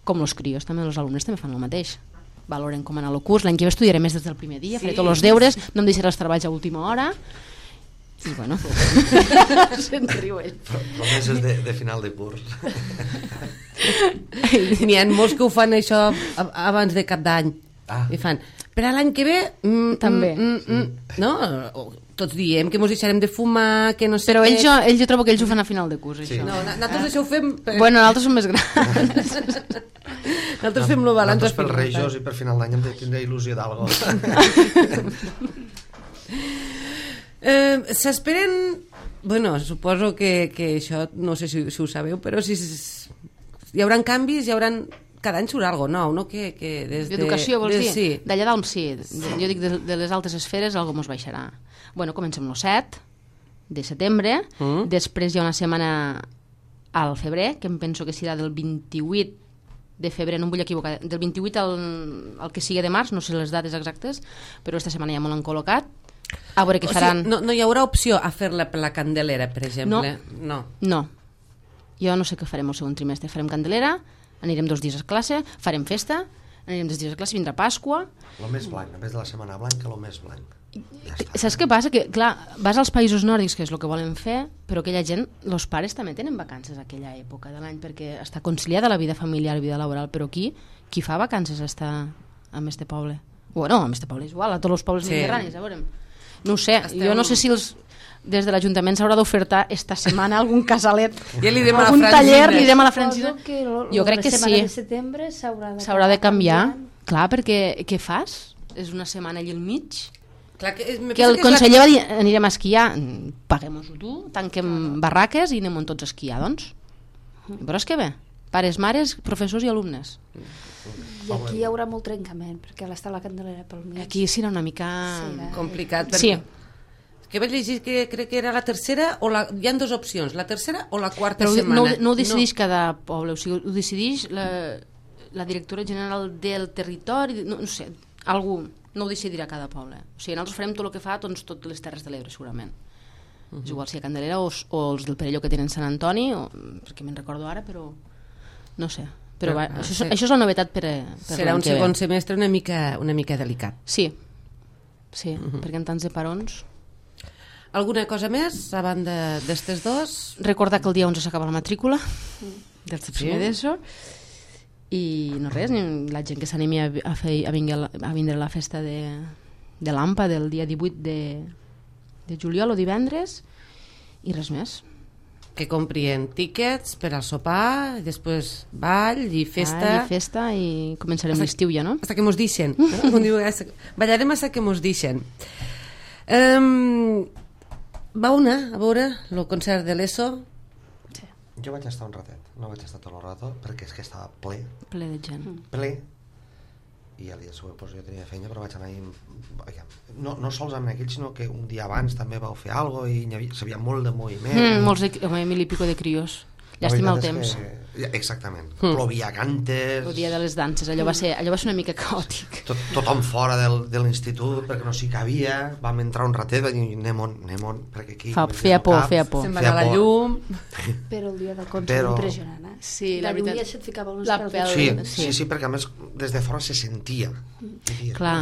[SPEAKER 5] Com els crios, també els alumnes també fan el mateix. Valoren com anar al curs, l'any que ve estudiaré més des del primer dia, faré tots els deures, no em deixaré els treballs a última hora. I bueno, se'n riu ell.
[SPEAKER 4] Promeses de final de curs.
[SPEAKER 1] N'hi ha molts que ho fan això abans de cap d'any. I fan, per a l'any que ve
[SPEAKER 5] també.
[SPEAKER 1] No? Tots diem que mos deixarem de fumar, que no sé
[SPEAKER 5] però
[SPEAKER 1] què.
[SPEAKER 5] ells jo trobo que ells ho fan a final de curs,
[SPEAKER 4] Sí.
[SPEAKER 5] això.
[SPEAKER 1] No, nosaltres això ho fem...
[SPEAKER 5] Bueno, nosaltres som més grans.
[SPEAKER 1] Nosaltres fem el balanç.
[SPEAKER 4] Nosaltres pels Reixos i per final d'any hem de tindre il·lusió d'algo.
[SPEAKER 1] S'esperen... Bueno, suposo que això, no sé si ho sabeu, però si hi haurà canvis, hi haurà... Cada any surt alguna nou, no? Que des
[SPEAKER 5] D'educació, vols dir?
[SPEAKER 1] Sí.
[SPEAKER 5] D'allà dalt, sí. Jo dic de les altes esferes, algo mos baixarà. Bueno, comencem el 7 de setembre, després hi ha una setmana al febrer, que em penso que serà del 28 de febrer, no em vull equivocar, del 28 al que sigui de març, no sé les dates exactes, però aquesta setmana ja me l'han col·locat. A veure què faran.
[SPEAKER 1] O sigui, no hi haurà opció a fer-la per la Candelera, per exemple? No.
[SPEAKER 5] Jo no sé què farem el segon trimestre. Farem Candelera, anirem 2 dies a classe, farem festa, anirem 2 dies a classe, vindrà Pasqua.
[SPEAKER 4] Lo més blanc, en vez de la setmana blanca, lo més blanc. Ja està.
[SPEAKER 5] Saps què passa? Que, clar, vas als països nòrdics, que és el que volen fer, però aquella gent, els pares també tenen vacances a aquella època de l'any, perquè està conciliada la vida familiar i vida laboral, però aquí, qui fa vacances està en este poble? Bueno, en este poble és igual, a tots els pobles mediterranis, a veure. No ho sé, jo no sé si des de l'Ajuntament s'haurà d'ofertar esta setmana algun casalet,
[SPEAKER 1] ja li direm a la
[SPEAKER 5] algun
[SPEAKER 1] Francina.
[SPEAKER 5] taller, li direm a la Francina. Jo crec que sí.
[SPEAKER 3] De setembre
[SPEAKER 5] s'haurà de canviar. Clar, perquè què fas? És una setmana allà al mig.
[SPEAKER 1] Clar,
[SPEAKER 5] que el conseller va dir, anirem a esquiar, paguem-ho tu, tanquem barraques i anem tots a esquiar, doncs. Veuràs que bé. Pares, mares, professors i alumnes.
[SPEAKER 3] I aquí hi haurà molt trencament, perquè està la Candelera pel mig.
[SPEAKER 5] Aquí serà una mica...
[SPEAKER 1] complicat.
[SPEAKER 5] Sí.
[SPEAKER 1] Que vaig llegir que crec que era la tercera, hi ha 2 opcions, la tercera o la quarta
[SPEAKER 5] però
[SPEAKER 1] setmana.
[SPEAKER 5] No ho decideix cada poble, o sigui, ho decideix la directora general del territori, no sé, algú no ho decidirà cada poble. O sigui, nosaltres farem tot el que fa doncs, totes les Terres de l'Ebre, segurament. És igual si a Candelera o els del Perelló que tenen Sant Antoni, perquè me'n recordo ara, però no sé. Però això és la novetat per
[SPEAKER 1] serà un segon semestre una mica delicat.
[SPEAKER 5] Sí, perquè en tants de parons...
[SPEAKER 1] Alguna cosa més, a banda d'estes 2?
[SPEAKER 5] Recordar que el dia 11 s'acaba la matrícula del primer d'ESO i no res, la gent que s'animi a vindre a la festa de l'AMPA del dia 18 de juliol o divendres i res més.
[SPEAKER 1] Que comprien tíquets per al sopar, i després ball i festa.
[SPEAKER 5] I començarem l'estiu ja, no?
[SPEAKER 1] Hasta que mos deixen. Ballarem hasta que mos deixen. Va a veure el concert de l'ESO?
[SPEAKER 5] Sí.
[SPEAKER 4] Jo vaig estar un ratet, no vaig estar tot el rato, perquè és que estava ple.
[SPEAKER 5] Ple de gent.
[SPEAKER 4] Ple. I el dia següent jo tenia feina, però vaig anar no sols amb aquells, sinó que un dia abans també vau fer alguna cosa i hi havia molt de moviment.
[SPEAKER 5] Molts de 1.000 i pico de crios. Llàstima el temps.
[SPEAKER 4] Exactament. Plovia cantes.
[SPEAKER 5] El dia de les danses, allò va ser una mica caòtic.
[SPEAKER 4] Tothom fora de l'institut perquè no s'hi cabia, vam entrar un ratet, vam dir anem on, perquè aquí...
[SPEAKER 5] Feia por.
[SPEAKER 1] Se'n va anar la llum...
[SPEAKER 3] Però el dia del concert impressionant, eh?
[SPEAKER 5] Sí, la veritat.
[SPEAKER 3] De lluny se't ficava els pèls.
[SPEAKER 4] Sí, perquè a més des de fora se sentia.
[SPEAKER 5] Clar.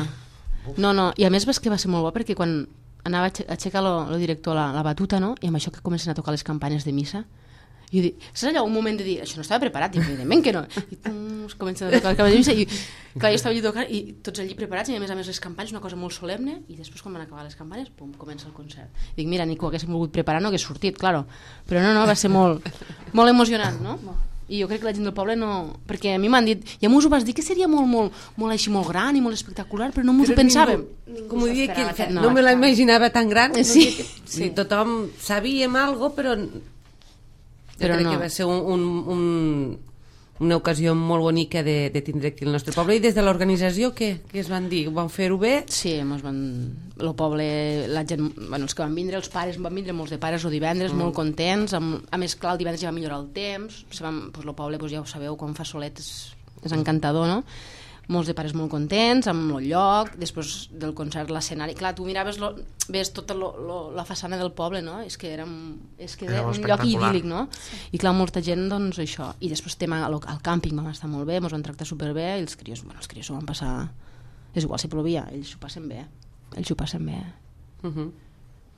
[SPEAKER 5] No, i a més que va ser molt bo perquè quan anava a aixecar el director la batuta, no? I amb això que comencen a tocar les campanes de missa, i dic, saps allò, un moment de dir, això no estava preparat, i evidentment que no, i es comencen a tocar les campanes de missa, i clar, jo estava allà tocant, i tots allí preparats, i a més les campanes, una cosa molt solemne, i després quan van acabar les campanes, pum, comença el concert. I dic, mira, ni que ho haguéssim volgut preparar, no hagués sortit, claro, però no, va ser molt emocionant, no? I jo crec que la gent del poble no... Perquè a mi m'han dit, i a m'ho vas dir que seria molt així, molt gran i molt espectacular, però no m'ho pensàvem.
[SPEAKER 1] Com ho dic, no me la imaginava tan gran.
[SPEAKER 5] Sí.
[SPEAKER 1] Tothom sabíem alguna cosa, però crec que va ser una ocasió molt bonica de tindre aquí el nostre poble. I des de l'organització, què es van dir? Van fer-ho bé?
[SPEAKER 5] Sí, el poble, la gent, els que van vindre, els pares van vindre, molts de pares el divendres, molt contents, a més, clar, el divendres ja va millorar el temps, el poble, ja ho sabeu, quan fa solet és encantador, no? Molts de pares molt contents amb el lloc, després del concert l'escenari, clar, tu miraves ves tota la façana del poble, no? És que era un lloc idíl·lic, no? I clar, molta gent, doncs això, i després tema al càmping vam estar molt bé, ens van tractar superbé i els crios s'ho van passar, és igual si plovia, ells s'ho passen bé.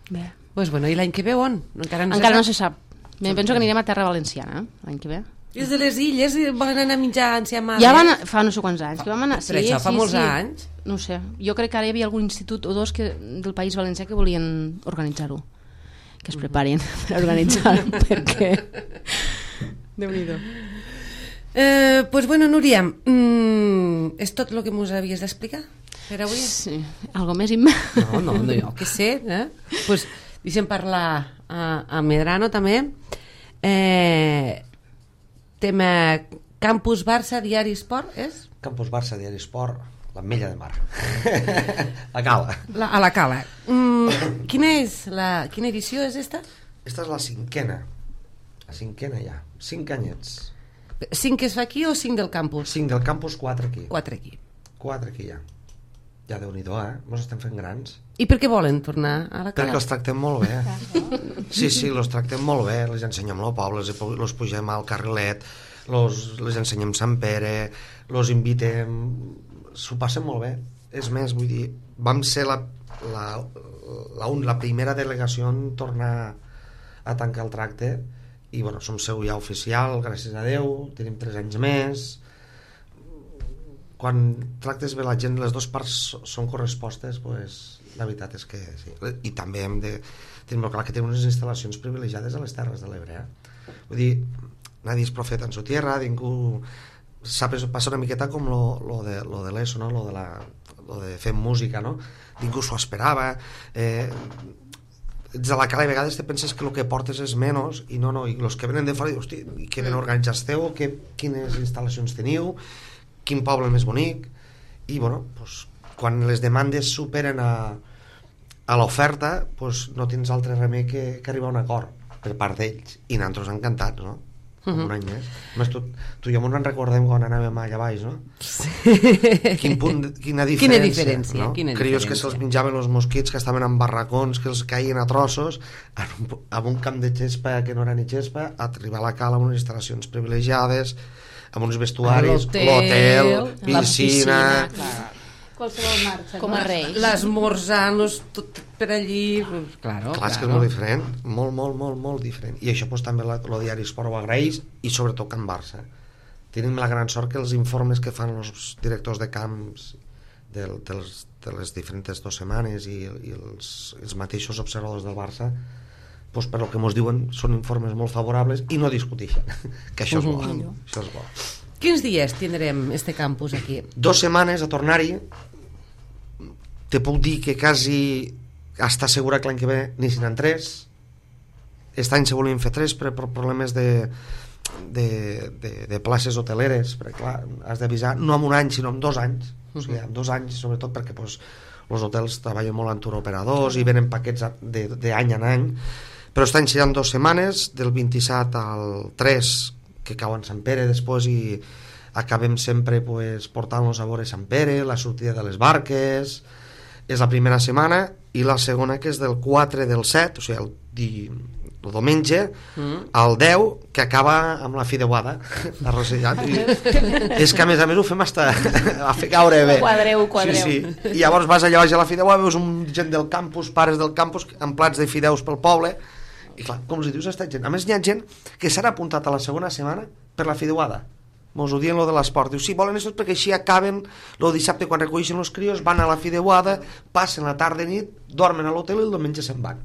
[SPEAKER 5] Bé.
[SPEAKER 1] Pues bueno, i l'any que ve on? Encara
[SPEAKER 5] no se sap. Penso que anirem a Terra Valenciana, l'any que ve.
[SPEAKER 1] I els de les illes volen anar a menjar enciamades?
[SPEAKER 5] Ja van fa no sé quants anys que vam anar.
[SPEAKER 1] Però això fa molts anys.
[SPEAKER 5] No sé, jo crec que ara hi havia algun institut o dos del País Valencià que volien organitzar-ho. Que es preparin per organitzar-ho, perquè... Déu-n'hi-do.
[SPEAKER 1] Pues bueno, Núria, és tot el que mos havies d'explicar per avui?
[SPEAKER 5] Sí, algo més
[SPEAKER 1] No, jo què sé, pues deixem parlar a Medrano també. Tema Campus Barça, Diari Esport, és?
[SPEAKER 4] Campus Barça, Diari Esport, l'Ametlla de Mar. A Cala.
[SPEAKER 1] A la Cala. Quina edició és esta?
[SPEAKER 4] Esta és la cinquena. La cinquena ja. 5 anyets.
[SPEAKER 1] 5 que es fa aquí o 5 del campus?
[SPEAKER 4] 5 del campus, 4 aquí.
[SPEAKER 1] 4 aquí.
[SPEAKER 4] 4 aquí ja. Ja Déu-n'hi-do, Mos estem fent grans.
[SPEAKER 1] I per què volen tornar a la Cala?
[SPEAKER 4] Perquè els tractem molt bé. Sí, els tractem molt bé. Les ensenyem el poble, els pugem al carrilet, les ensenyem Sant Pere, els invitem... S'ho passen molt bé. És més, vull dir, vam ser la primera delegació en tornar a tancar el tracte i, bueno, som seu ja oficial, gràcies a Déu, tenim 3 anys més... Quan tractes bé la gent, les dues parts són correspostes, pues, la veritat és que sí. I també hem de tenir molt clar que tenim unes instal·lacions privilegiades a les Terres de l'Ebre. Vull dir, nadie és profeta en su tierra, ningú... Passa una miqueta com lo de l'ESO, no? Lo de fer música, no? Ningú s'ho esperava. Ets de la Cala i a vegades te penses que el que portes és menys i no, i els que venen de fora diuen, hosti, que ben organitzats esteu, quines instal·lacions teniu, quin poble més bonic, i bueno, pues, quan les demandes superen a l'oferta, pues, no tens altre remei que arribar a un acord per part d'ells, i nosaltres encantats, no? Com un any més. Més tu i jo ens recordem quan anàvem allà baix, no?
[SPEAKER 1] Sí.
[SPEAKER 4] Quina diferència, no? Crios que se'ls menjaven els mosquits, que estaven en barracons, que els caien a trossos, amb un camp de gespa que no era ni gespa, a arribar a la Cala amb unes instal·lacions privilegiades, amb uns vestuaris, l'hotel, piscina...
[SPEAKER 3] Qualsevol marxa.
[SPEAKER 5] Com a rei.
[SPEAKER 1] L'esmorzar, tot per allí... Claro.
[SPEAKER 4] És que és molt diferent, molt diferent. I això pues, també el Diari Esport ho agraeix, i sobretot Can Barça. Tenim la gran sort que els informes que fan els directors de camps de les diferents 2 setmanes i els mateixos observadors del Barça, pues, per el que ens diuen són informes molt favorables i no discuteixen, que això és bo. Això és bo.
[SPEAKER 1] Quins dies tindrem este campus aquí?
[SPEAKER 4] 2 setmanes a tornar-hi. Te puc dir que quasi està segura que l'any que ve n'hi seran 3. Aquest any se volien fer 3 per problemes de places hoteleres, perquè clar, has d'avisar no en un any sinó en 2 anys. O sigui, en 2 anys, sobretot perquè pues, els hotels treballen molt amb turoperadors i venen paquets d'any en any. Però aquest any seran 2 setmanes, del 27 al 3, que cau en Sant Pere després, i acabem sempre pues, portant-los a veure Sant Pere, la sortida de les barques. És la primera setmana, i la segona que és del 4 del 7, o sigui el diumenge al 10, que acaba amb la fideuada a Rosellat. És que a més ho fem hasta a fer caure bé.
[SPEAKER 3] Quadreu.
[SPEAKER 4] Sí. I llavors vas allà baix a la fideuada, veus gent del campus, pares del campus amb plats de fideus pel poble, i clar, com els dius, està gent. A més hi ha gent que s'ha apuntat a la segona setmana per la fideuada. Mos ho diuen lo de l'esport. Diu, sí, volen això perquè així acaben el dissabte quan recolleixen els crios, van a la fideuada, passen la tarda i nit, dormen a l'hotel i el diumenge se'n van.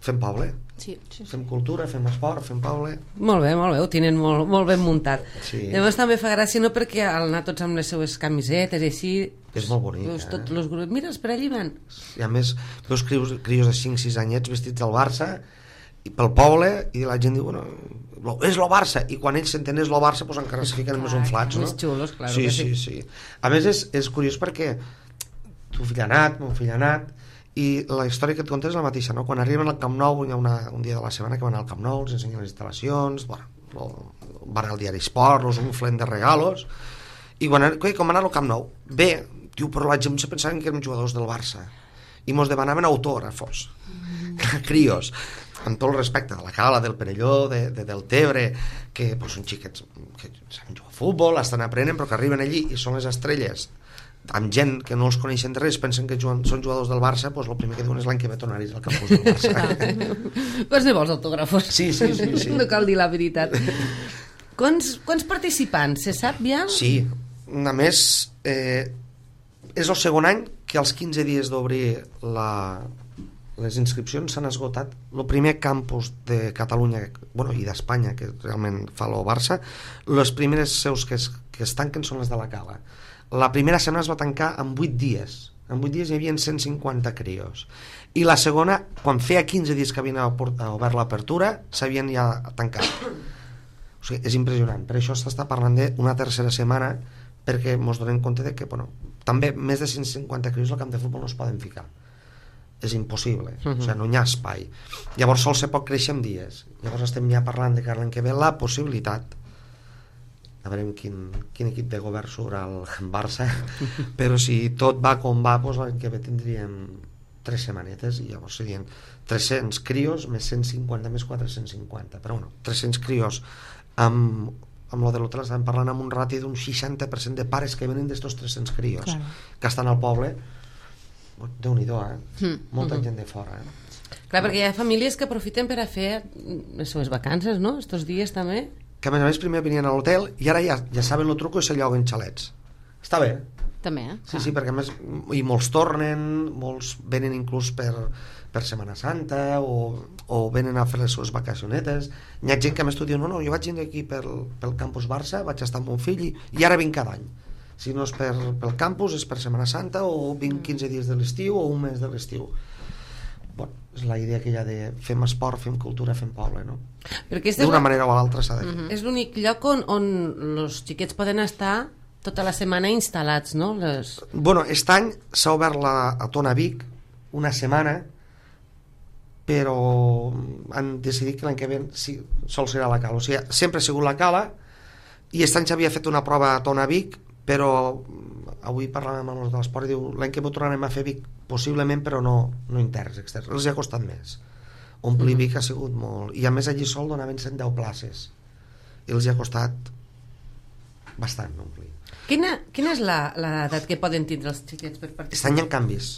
[SPEAKER 4] Fem poble.
[SPEAKER 5] Sí.
[SPEAKER 4] Fem cultura, fem esport, fem poble.
[SPEAKER 1] Molt bé, ho tenen molt ben muntat.
[SPEAKER 4] Sí.
[SPEAKER 1] Llavors també fa gràcia, no, perquè al anar tots amb les seues camisetes i així...
[SPEAKER 4] És molt bonic,
[SPEAKER 1] veus tots els grups, mira, per allí van.
[SPEAKER 4] I a més, veus crios de 5-6 anyets vestits del Barça, i pel poble, i la gent diu, bueno, és lo Barça, i quan ells s'entenen és lo Barça, doncs encara se fiquen més unflats, no?
[SPEAKER 1] Més xulos, clar.
[SPEAKER 4] Sí. A més, és curiós perquè tu fill ha anat, mon fill ha anat, i la història que et contes és la mateixa, no? Quan arriben al Camp Nou, hi ha un dia de la setmana que van al Camp Nou, els ensenyen les instal·lacions, bueno, van al diari Esport, els unflen de regalos, i com anar al Camp Nou, bé, diu, però la gent se pensaven que érem jugadors del Barça i mos demanaven autògrafos, crios, amb tot el respecte de la Cala, del Perelló, del Tebre, que són xiquets que saben jugar a futbol, estan aprenent, però que arriben allí i són les estrelles, amb gent que no els coneixen de res, pensen que són jugadors del Barça, doncs el primer que diuen és l'any que ve tornaris al campus del Barça.
[SPEAKER 1] Qualsevol autògrafos.
[SPEAKER 4] Sí.
[SPEAKER 1] No cal dir la veritat. Quants participants, se sap ja?
[SPEAKER 4] Sí, a més, és el segon any que als 15 dies d'obrir les inscripcions s'han esgotat. El primer campus de Catalunya, i d'Espanya, que realment fa el Barça, les primeres seus que es tanquen són les de la Cala. La primera setmana es va tancar en 8 dies. En 8 dies hi havia 150 crios. I la segona, quan feia 15 dies que havien obert l'apertura, s'havien ja tancat. O sigui, és impressionant. Per això s'està parlant d'una tercera setmana, perquè ens donem compte de que, també més de 150 crios al camp de futbol no es poden ficar. És impossible. O sigui, no hi ha espai. Llavors sol se pot créixer en dies. Llavors estem ja parlant de que l'any que ve la possibilitat, a veure quin equip de govern surt al Barça, però si tot va com va, doncs l'any que ve tindríem 3 setmanetes i llavors serien 300 crios més 150 més 450, però 300 crios amb lo de l'hotel estàvem parlant amb un rati d'un 60% de pares que venen d'estos 300 crios, claro, que estan al poble. Déu-n'hi-do, molta gent de fora,
[SPEAKER 1] Clar, perquè hi ha famílies que aprofiten per a fer les seves vacances, no? Estos dies també.
[SPEAKER 4] Que a més primer venien a l'hotel i ara ja saben el truco i se lloguen xalets. Està bé.
[SPEAKER 5] També,
[SPEAKER 4] Sí, perquè a més i molts tornen, molts venen inclús per Setmana Santa o venen a fer les seves vacacionetes. Hi ha gent que a més tu diu, no, jo vaig venir aquí pel campus Barça, vaig estar amb mon fill i ara vinc cada any. Si no és pel campus és per Setmana Santa o vinc 15 dies de l'estiu o un mes de l'estiu. És la idea que hi ha de fem esport, fem cultura, fem poble, no? D'una manera o l'altra s'ha de fer.
[SPEAKER 1] És l'únic lloc on els xiquets poden estar tota la setmana instal·lats, no?
[SPEAKER 4] Aquest any s'ha obert a Tona Vic una setmana, però han decidit que l'any que ve sol serà la Cala. O sigui, sempre ha sigut la Cala i aquest any s'havia fet una prova a Tona Vic, però avui parlàvem amb els de l'esport i diu, l'any que ve tornarem a fer Vic possiblement, però no interns, externs. Els ha costat més. Omplir Vic ha sigut molt, i a més allí sol donaven 110 places i els ha costat bastant omplir.
[SPEAKER 1] Quina és l'edat que poden tindre els xiquets per participar?
[SPEAKER 4] Aquest any hi ha canvis.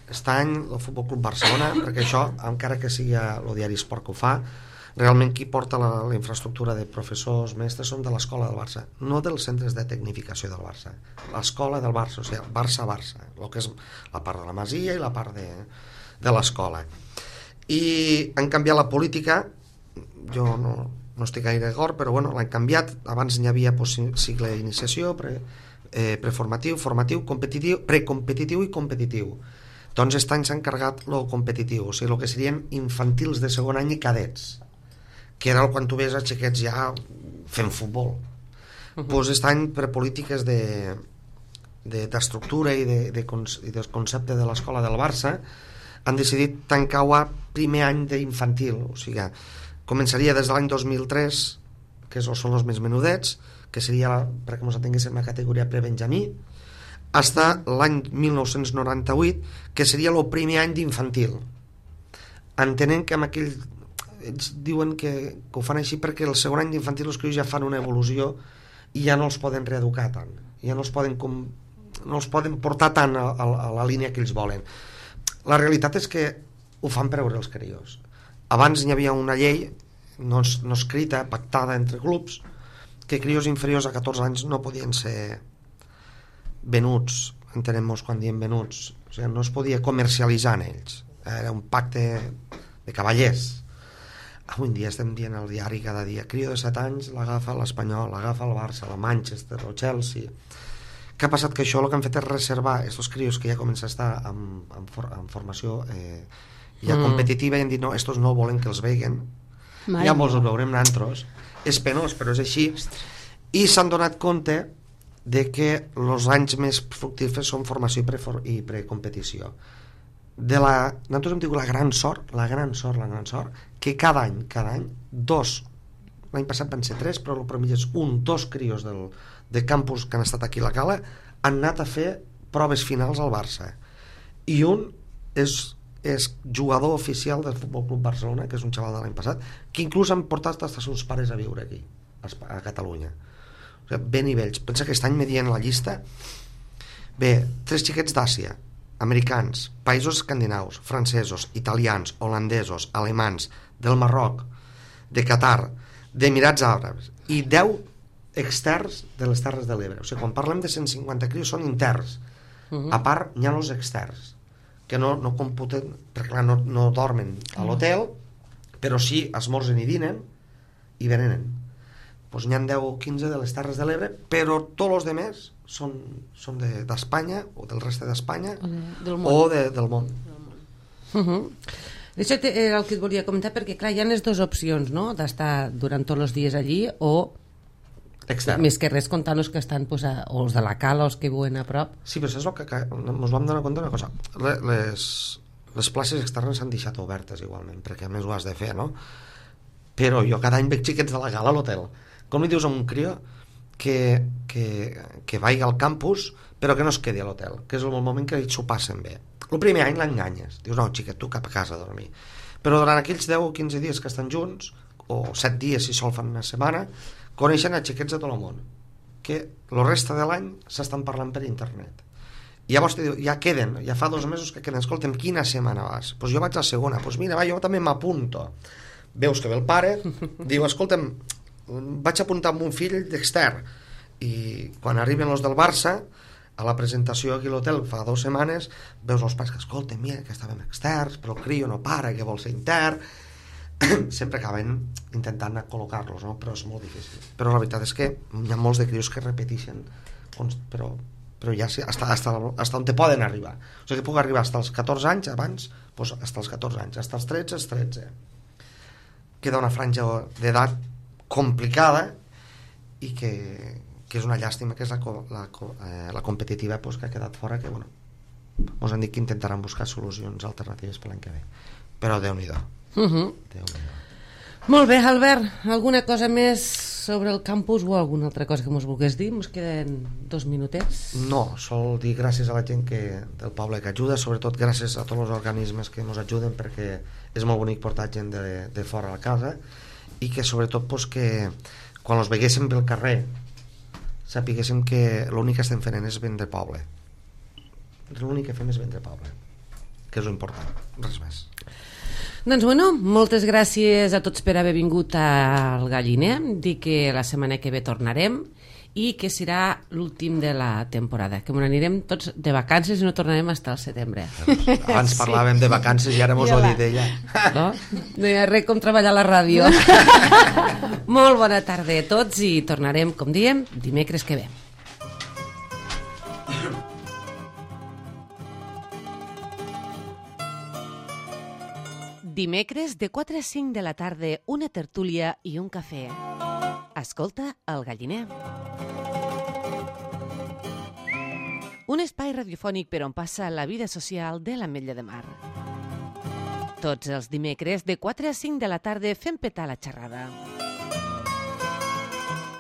[SPEAKER 4] Aquest any el Futbol Club Barcelona, perquè això, encara que sigui el diari Esport que ho fa, realment qui porta la infraestructura de professors, mestres, són de l'escola del Barça, no dels centres de tecnificació del Barça, l'escola del Barça, o sigui, Barça-Barça, el que és la part de la Masia i la part de l'escola. I han canviat la política, jo no estic gaire d'acord, però l'han canviat. Abans n'hi havia cicle d'iniciació, preformatiu, formatiu, competitiu, precompetitiu i competitiu. Doncs aquest any s'ha encarregat el competitiu, o sigui, el que serien infantils de segon any i cadets, que era quan tu ves a xiquets ja fent futbol. Doncs aquest any, per polítiques d'estructura i del concepte de l'escola del Barça, han decidit tancar-ho a primer any d'infantil, o sigui, començaria des de l'any 2003, que són els més menudets, que seria, perquè ens atenguéssim, la categoria prebenjamí, fins l'any 1998, que seria el primer any d'infantil. Entenent que amb aquell... Ells diuen que ho fan així perquè el segon any d'infantil els crios ja fan una evolució i ja no els poden reeducar tant, ja no els poden portar tant a la línia que ells volen. La realitat és que ho fan per veure els crios. Abans hi havia una llei no escrita, pactada entre clubs, que crios inferiors a 14 anys no podien ser venuts, entenem-nos quan diem venuts, o sigui, no es podia comercialitzar en ells, era un pacte de cavallers. Avui en dia estem dient al diari cada dia, crio de 7 anys l'agafa l'Espanyol, l'agafa el Barça, el Manchester, el Chelsea. Què ha passat? Que això el que han fet és reservar aquests crios que ja comencen a estar en formació ja competitiva i han dit no, estos no volen que els veguen, ja molts els veurem nosaltres. És penós, però és així. I s'han donat compte de que els anys més fructífers són formació i precompetició. Nosaltres hem tingut la gran sort que cada any, 2 l'any passat van ser 3, però per mitges 2 crios de campus que han estat aquí a la Cala han anat a fer proves finals al Barça. I un és jugador oficial del Futbol Club Barcelona, que és un xaval de l'any passat, que inclús han portat els seus pares a viure aquí, a Catalunya. O sigui, bé nivells. Pensa que aquest any me dient la llista, bé, 3 xiquets d'Àsia, americans, països escandinaus, francesos, italians, holandesos, alemans, del Marroc, de Qatar, d'Emirats Àrabs, i 10 externs de les Terres de l'Ebre. O sigui, quan parlem de 150 crios són interns. A part, hi ha els externs, que no computen, perquè clar, no dormen a l'hotel, però sí esmorzen i dinen i venenen. Doncs n'hi ha 10 o 15 de les Terres de l'Ebre, però tots els altres són d'Espanya o del reste d'Espanya o del món.
[SPEAKER 1] Això era el que et volia comentar, perquè clar, hi ha les dues opcions, no?, d'estar durant tots els dies allí o extern. Més que res comptant els que estan o els de la Cala o els que viuen a prop.
[SPEAKER 4] Sí, però és el que ens vam donar compte d'una cosa. Les places externes s'han deixat obertes igualment, perquè a més ho has de fer, no? Però jo cada any veig xiquets de la Cala a l'hotel. Com li dius a un crió que vagi al campus però que no es quedi a l'hotel, que és el moment que ells s'ho passen bé. El primer any l'enganyes, dius no xiquet, tu cap a casa a dormir, però durant aquells 10 o 15 dies que estan junts, o 7 dies si sol fan una setmana, coneixen a xiquets de tot el món que el reste de l'any s'estan parlant per internet. I llavors ja queden, ja fa 2 mesos que queden, escolta'm, quina setmana vas? Doncs jo vaig a la segona, doncs mira, va, jo també m'apunto. Veus que ve el pare, diu, escolta'm, vaig apuntar amb un fill d'extern, i quan arriben els del Barça a la presentació aquí a l'hotel fa 2 setmanes, veus els pares que escolten, mira que estàvem externs, però el crio no para, que vol ser intern. Sempre acaben intentant col·locar-los, no? Però és molt difícil. Però la veritat és que hi ha molts de crios que repeteixen, però ja sí, hasta on te poden arribar. O sigui que puc arribar hasta els 14 anys, abans, doncs hasta els 14 anys, hasta els 13, els 13. Queda una franja d'edat complicada i que és una llàstima, que és la competitiva que ha quedat fora, que ens han dit que intentaran buscar solucions alternatives per l'any que ve, però Déu-n'hi-do.
[SPEAKER 1] Molt bé, Albert, alguna cosa més sobre el campus o alguna altra cosa que ens volgués dir? Ens queden 2 minutets.
[SPEAKER 4] No, sol dir gràcies a la gent del poble que ajuda, sobretot gràcies a tots els organismes que ens ajuden, perquè és molt bonic portar gent de fora a la casa, i que sobretot que quan els veguéssim pel carrer sapiguéssim que l'únic que estem fent és vendre poble. L'únic que fem és vendre poble, que és l'important, res més.
[SPEAKER 1] Doncs bueno, moltes gràcies a tots per haver vingut al Galliner. Dir que la setmana que ve tornarem i que serà l'últim de la temporada, que anirem tots de vacances i no tornarem fins al setembre.
[SPEAKER 4] Abans parlàvem de vacances i ara mos ho ha dit ella.
[SPEAKER 1] No hi ha res com treballar a la ràdio. Molt bona tarda a tots i tornarem, com diem, dimecres que ve. Dimecres de 4 a 5 de la tarda, una tertúlia i un cafè. Escolta el Galliner. Un espai radiofònic per on passa la vida social de l'Ametlla de Mar. Tots els dimecres de 4 a 5 de la tarda fem petar la xerrada.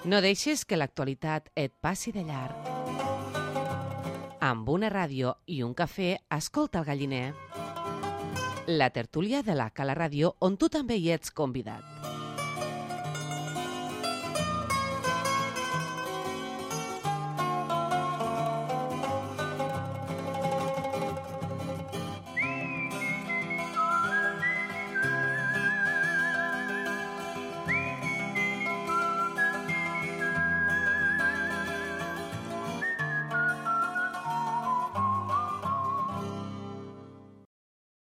[SPEAKER 1] No deixes que l'actualitat et passi de llarg. Amb una ràdio i un cafè, escolta el Galliner. La tertúlia de la Cala Ràdio, on tu també hi ets convidat.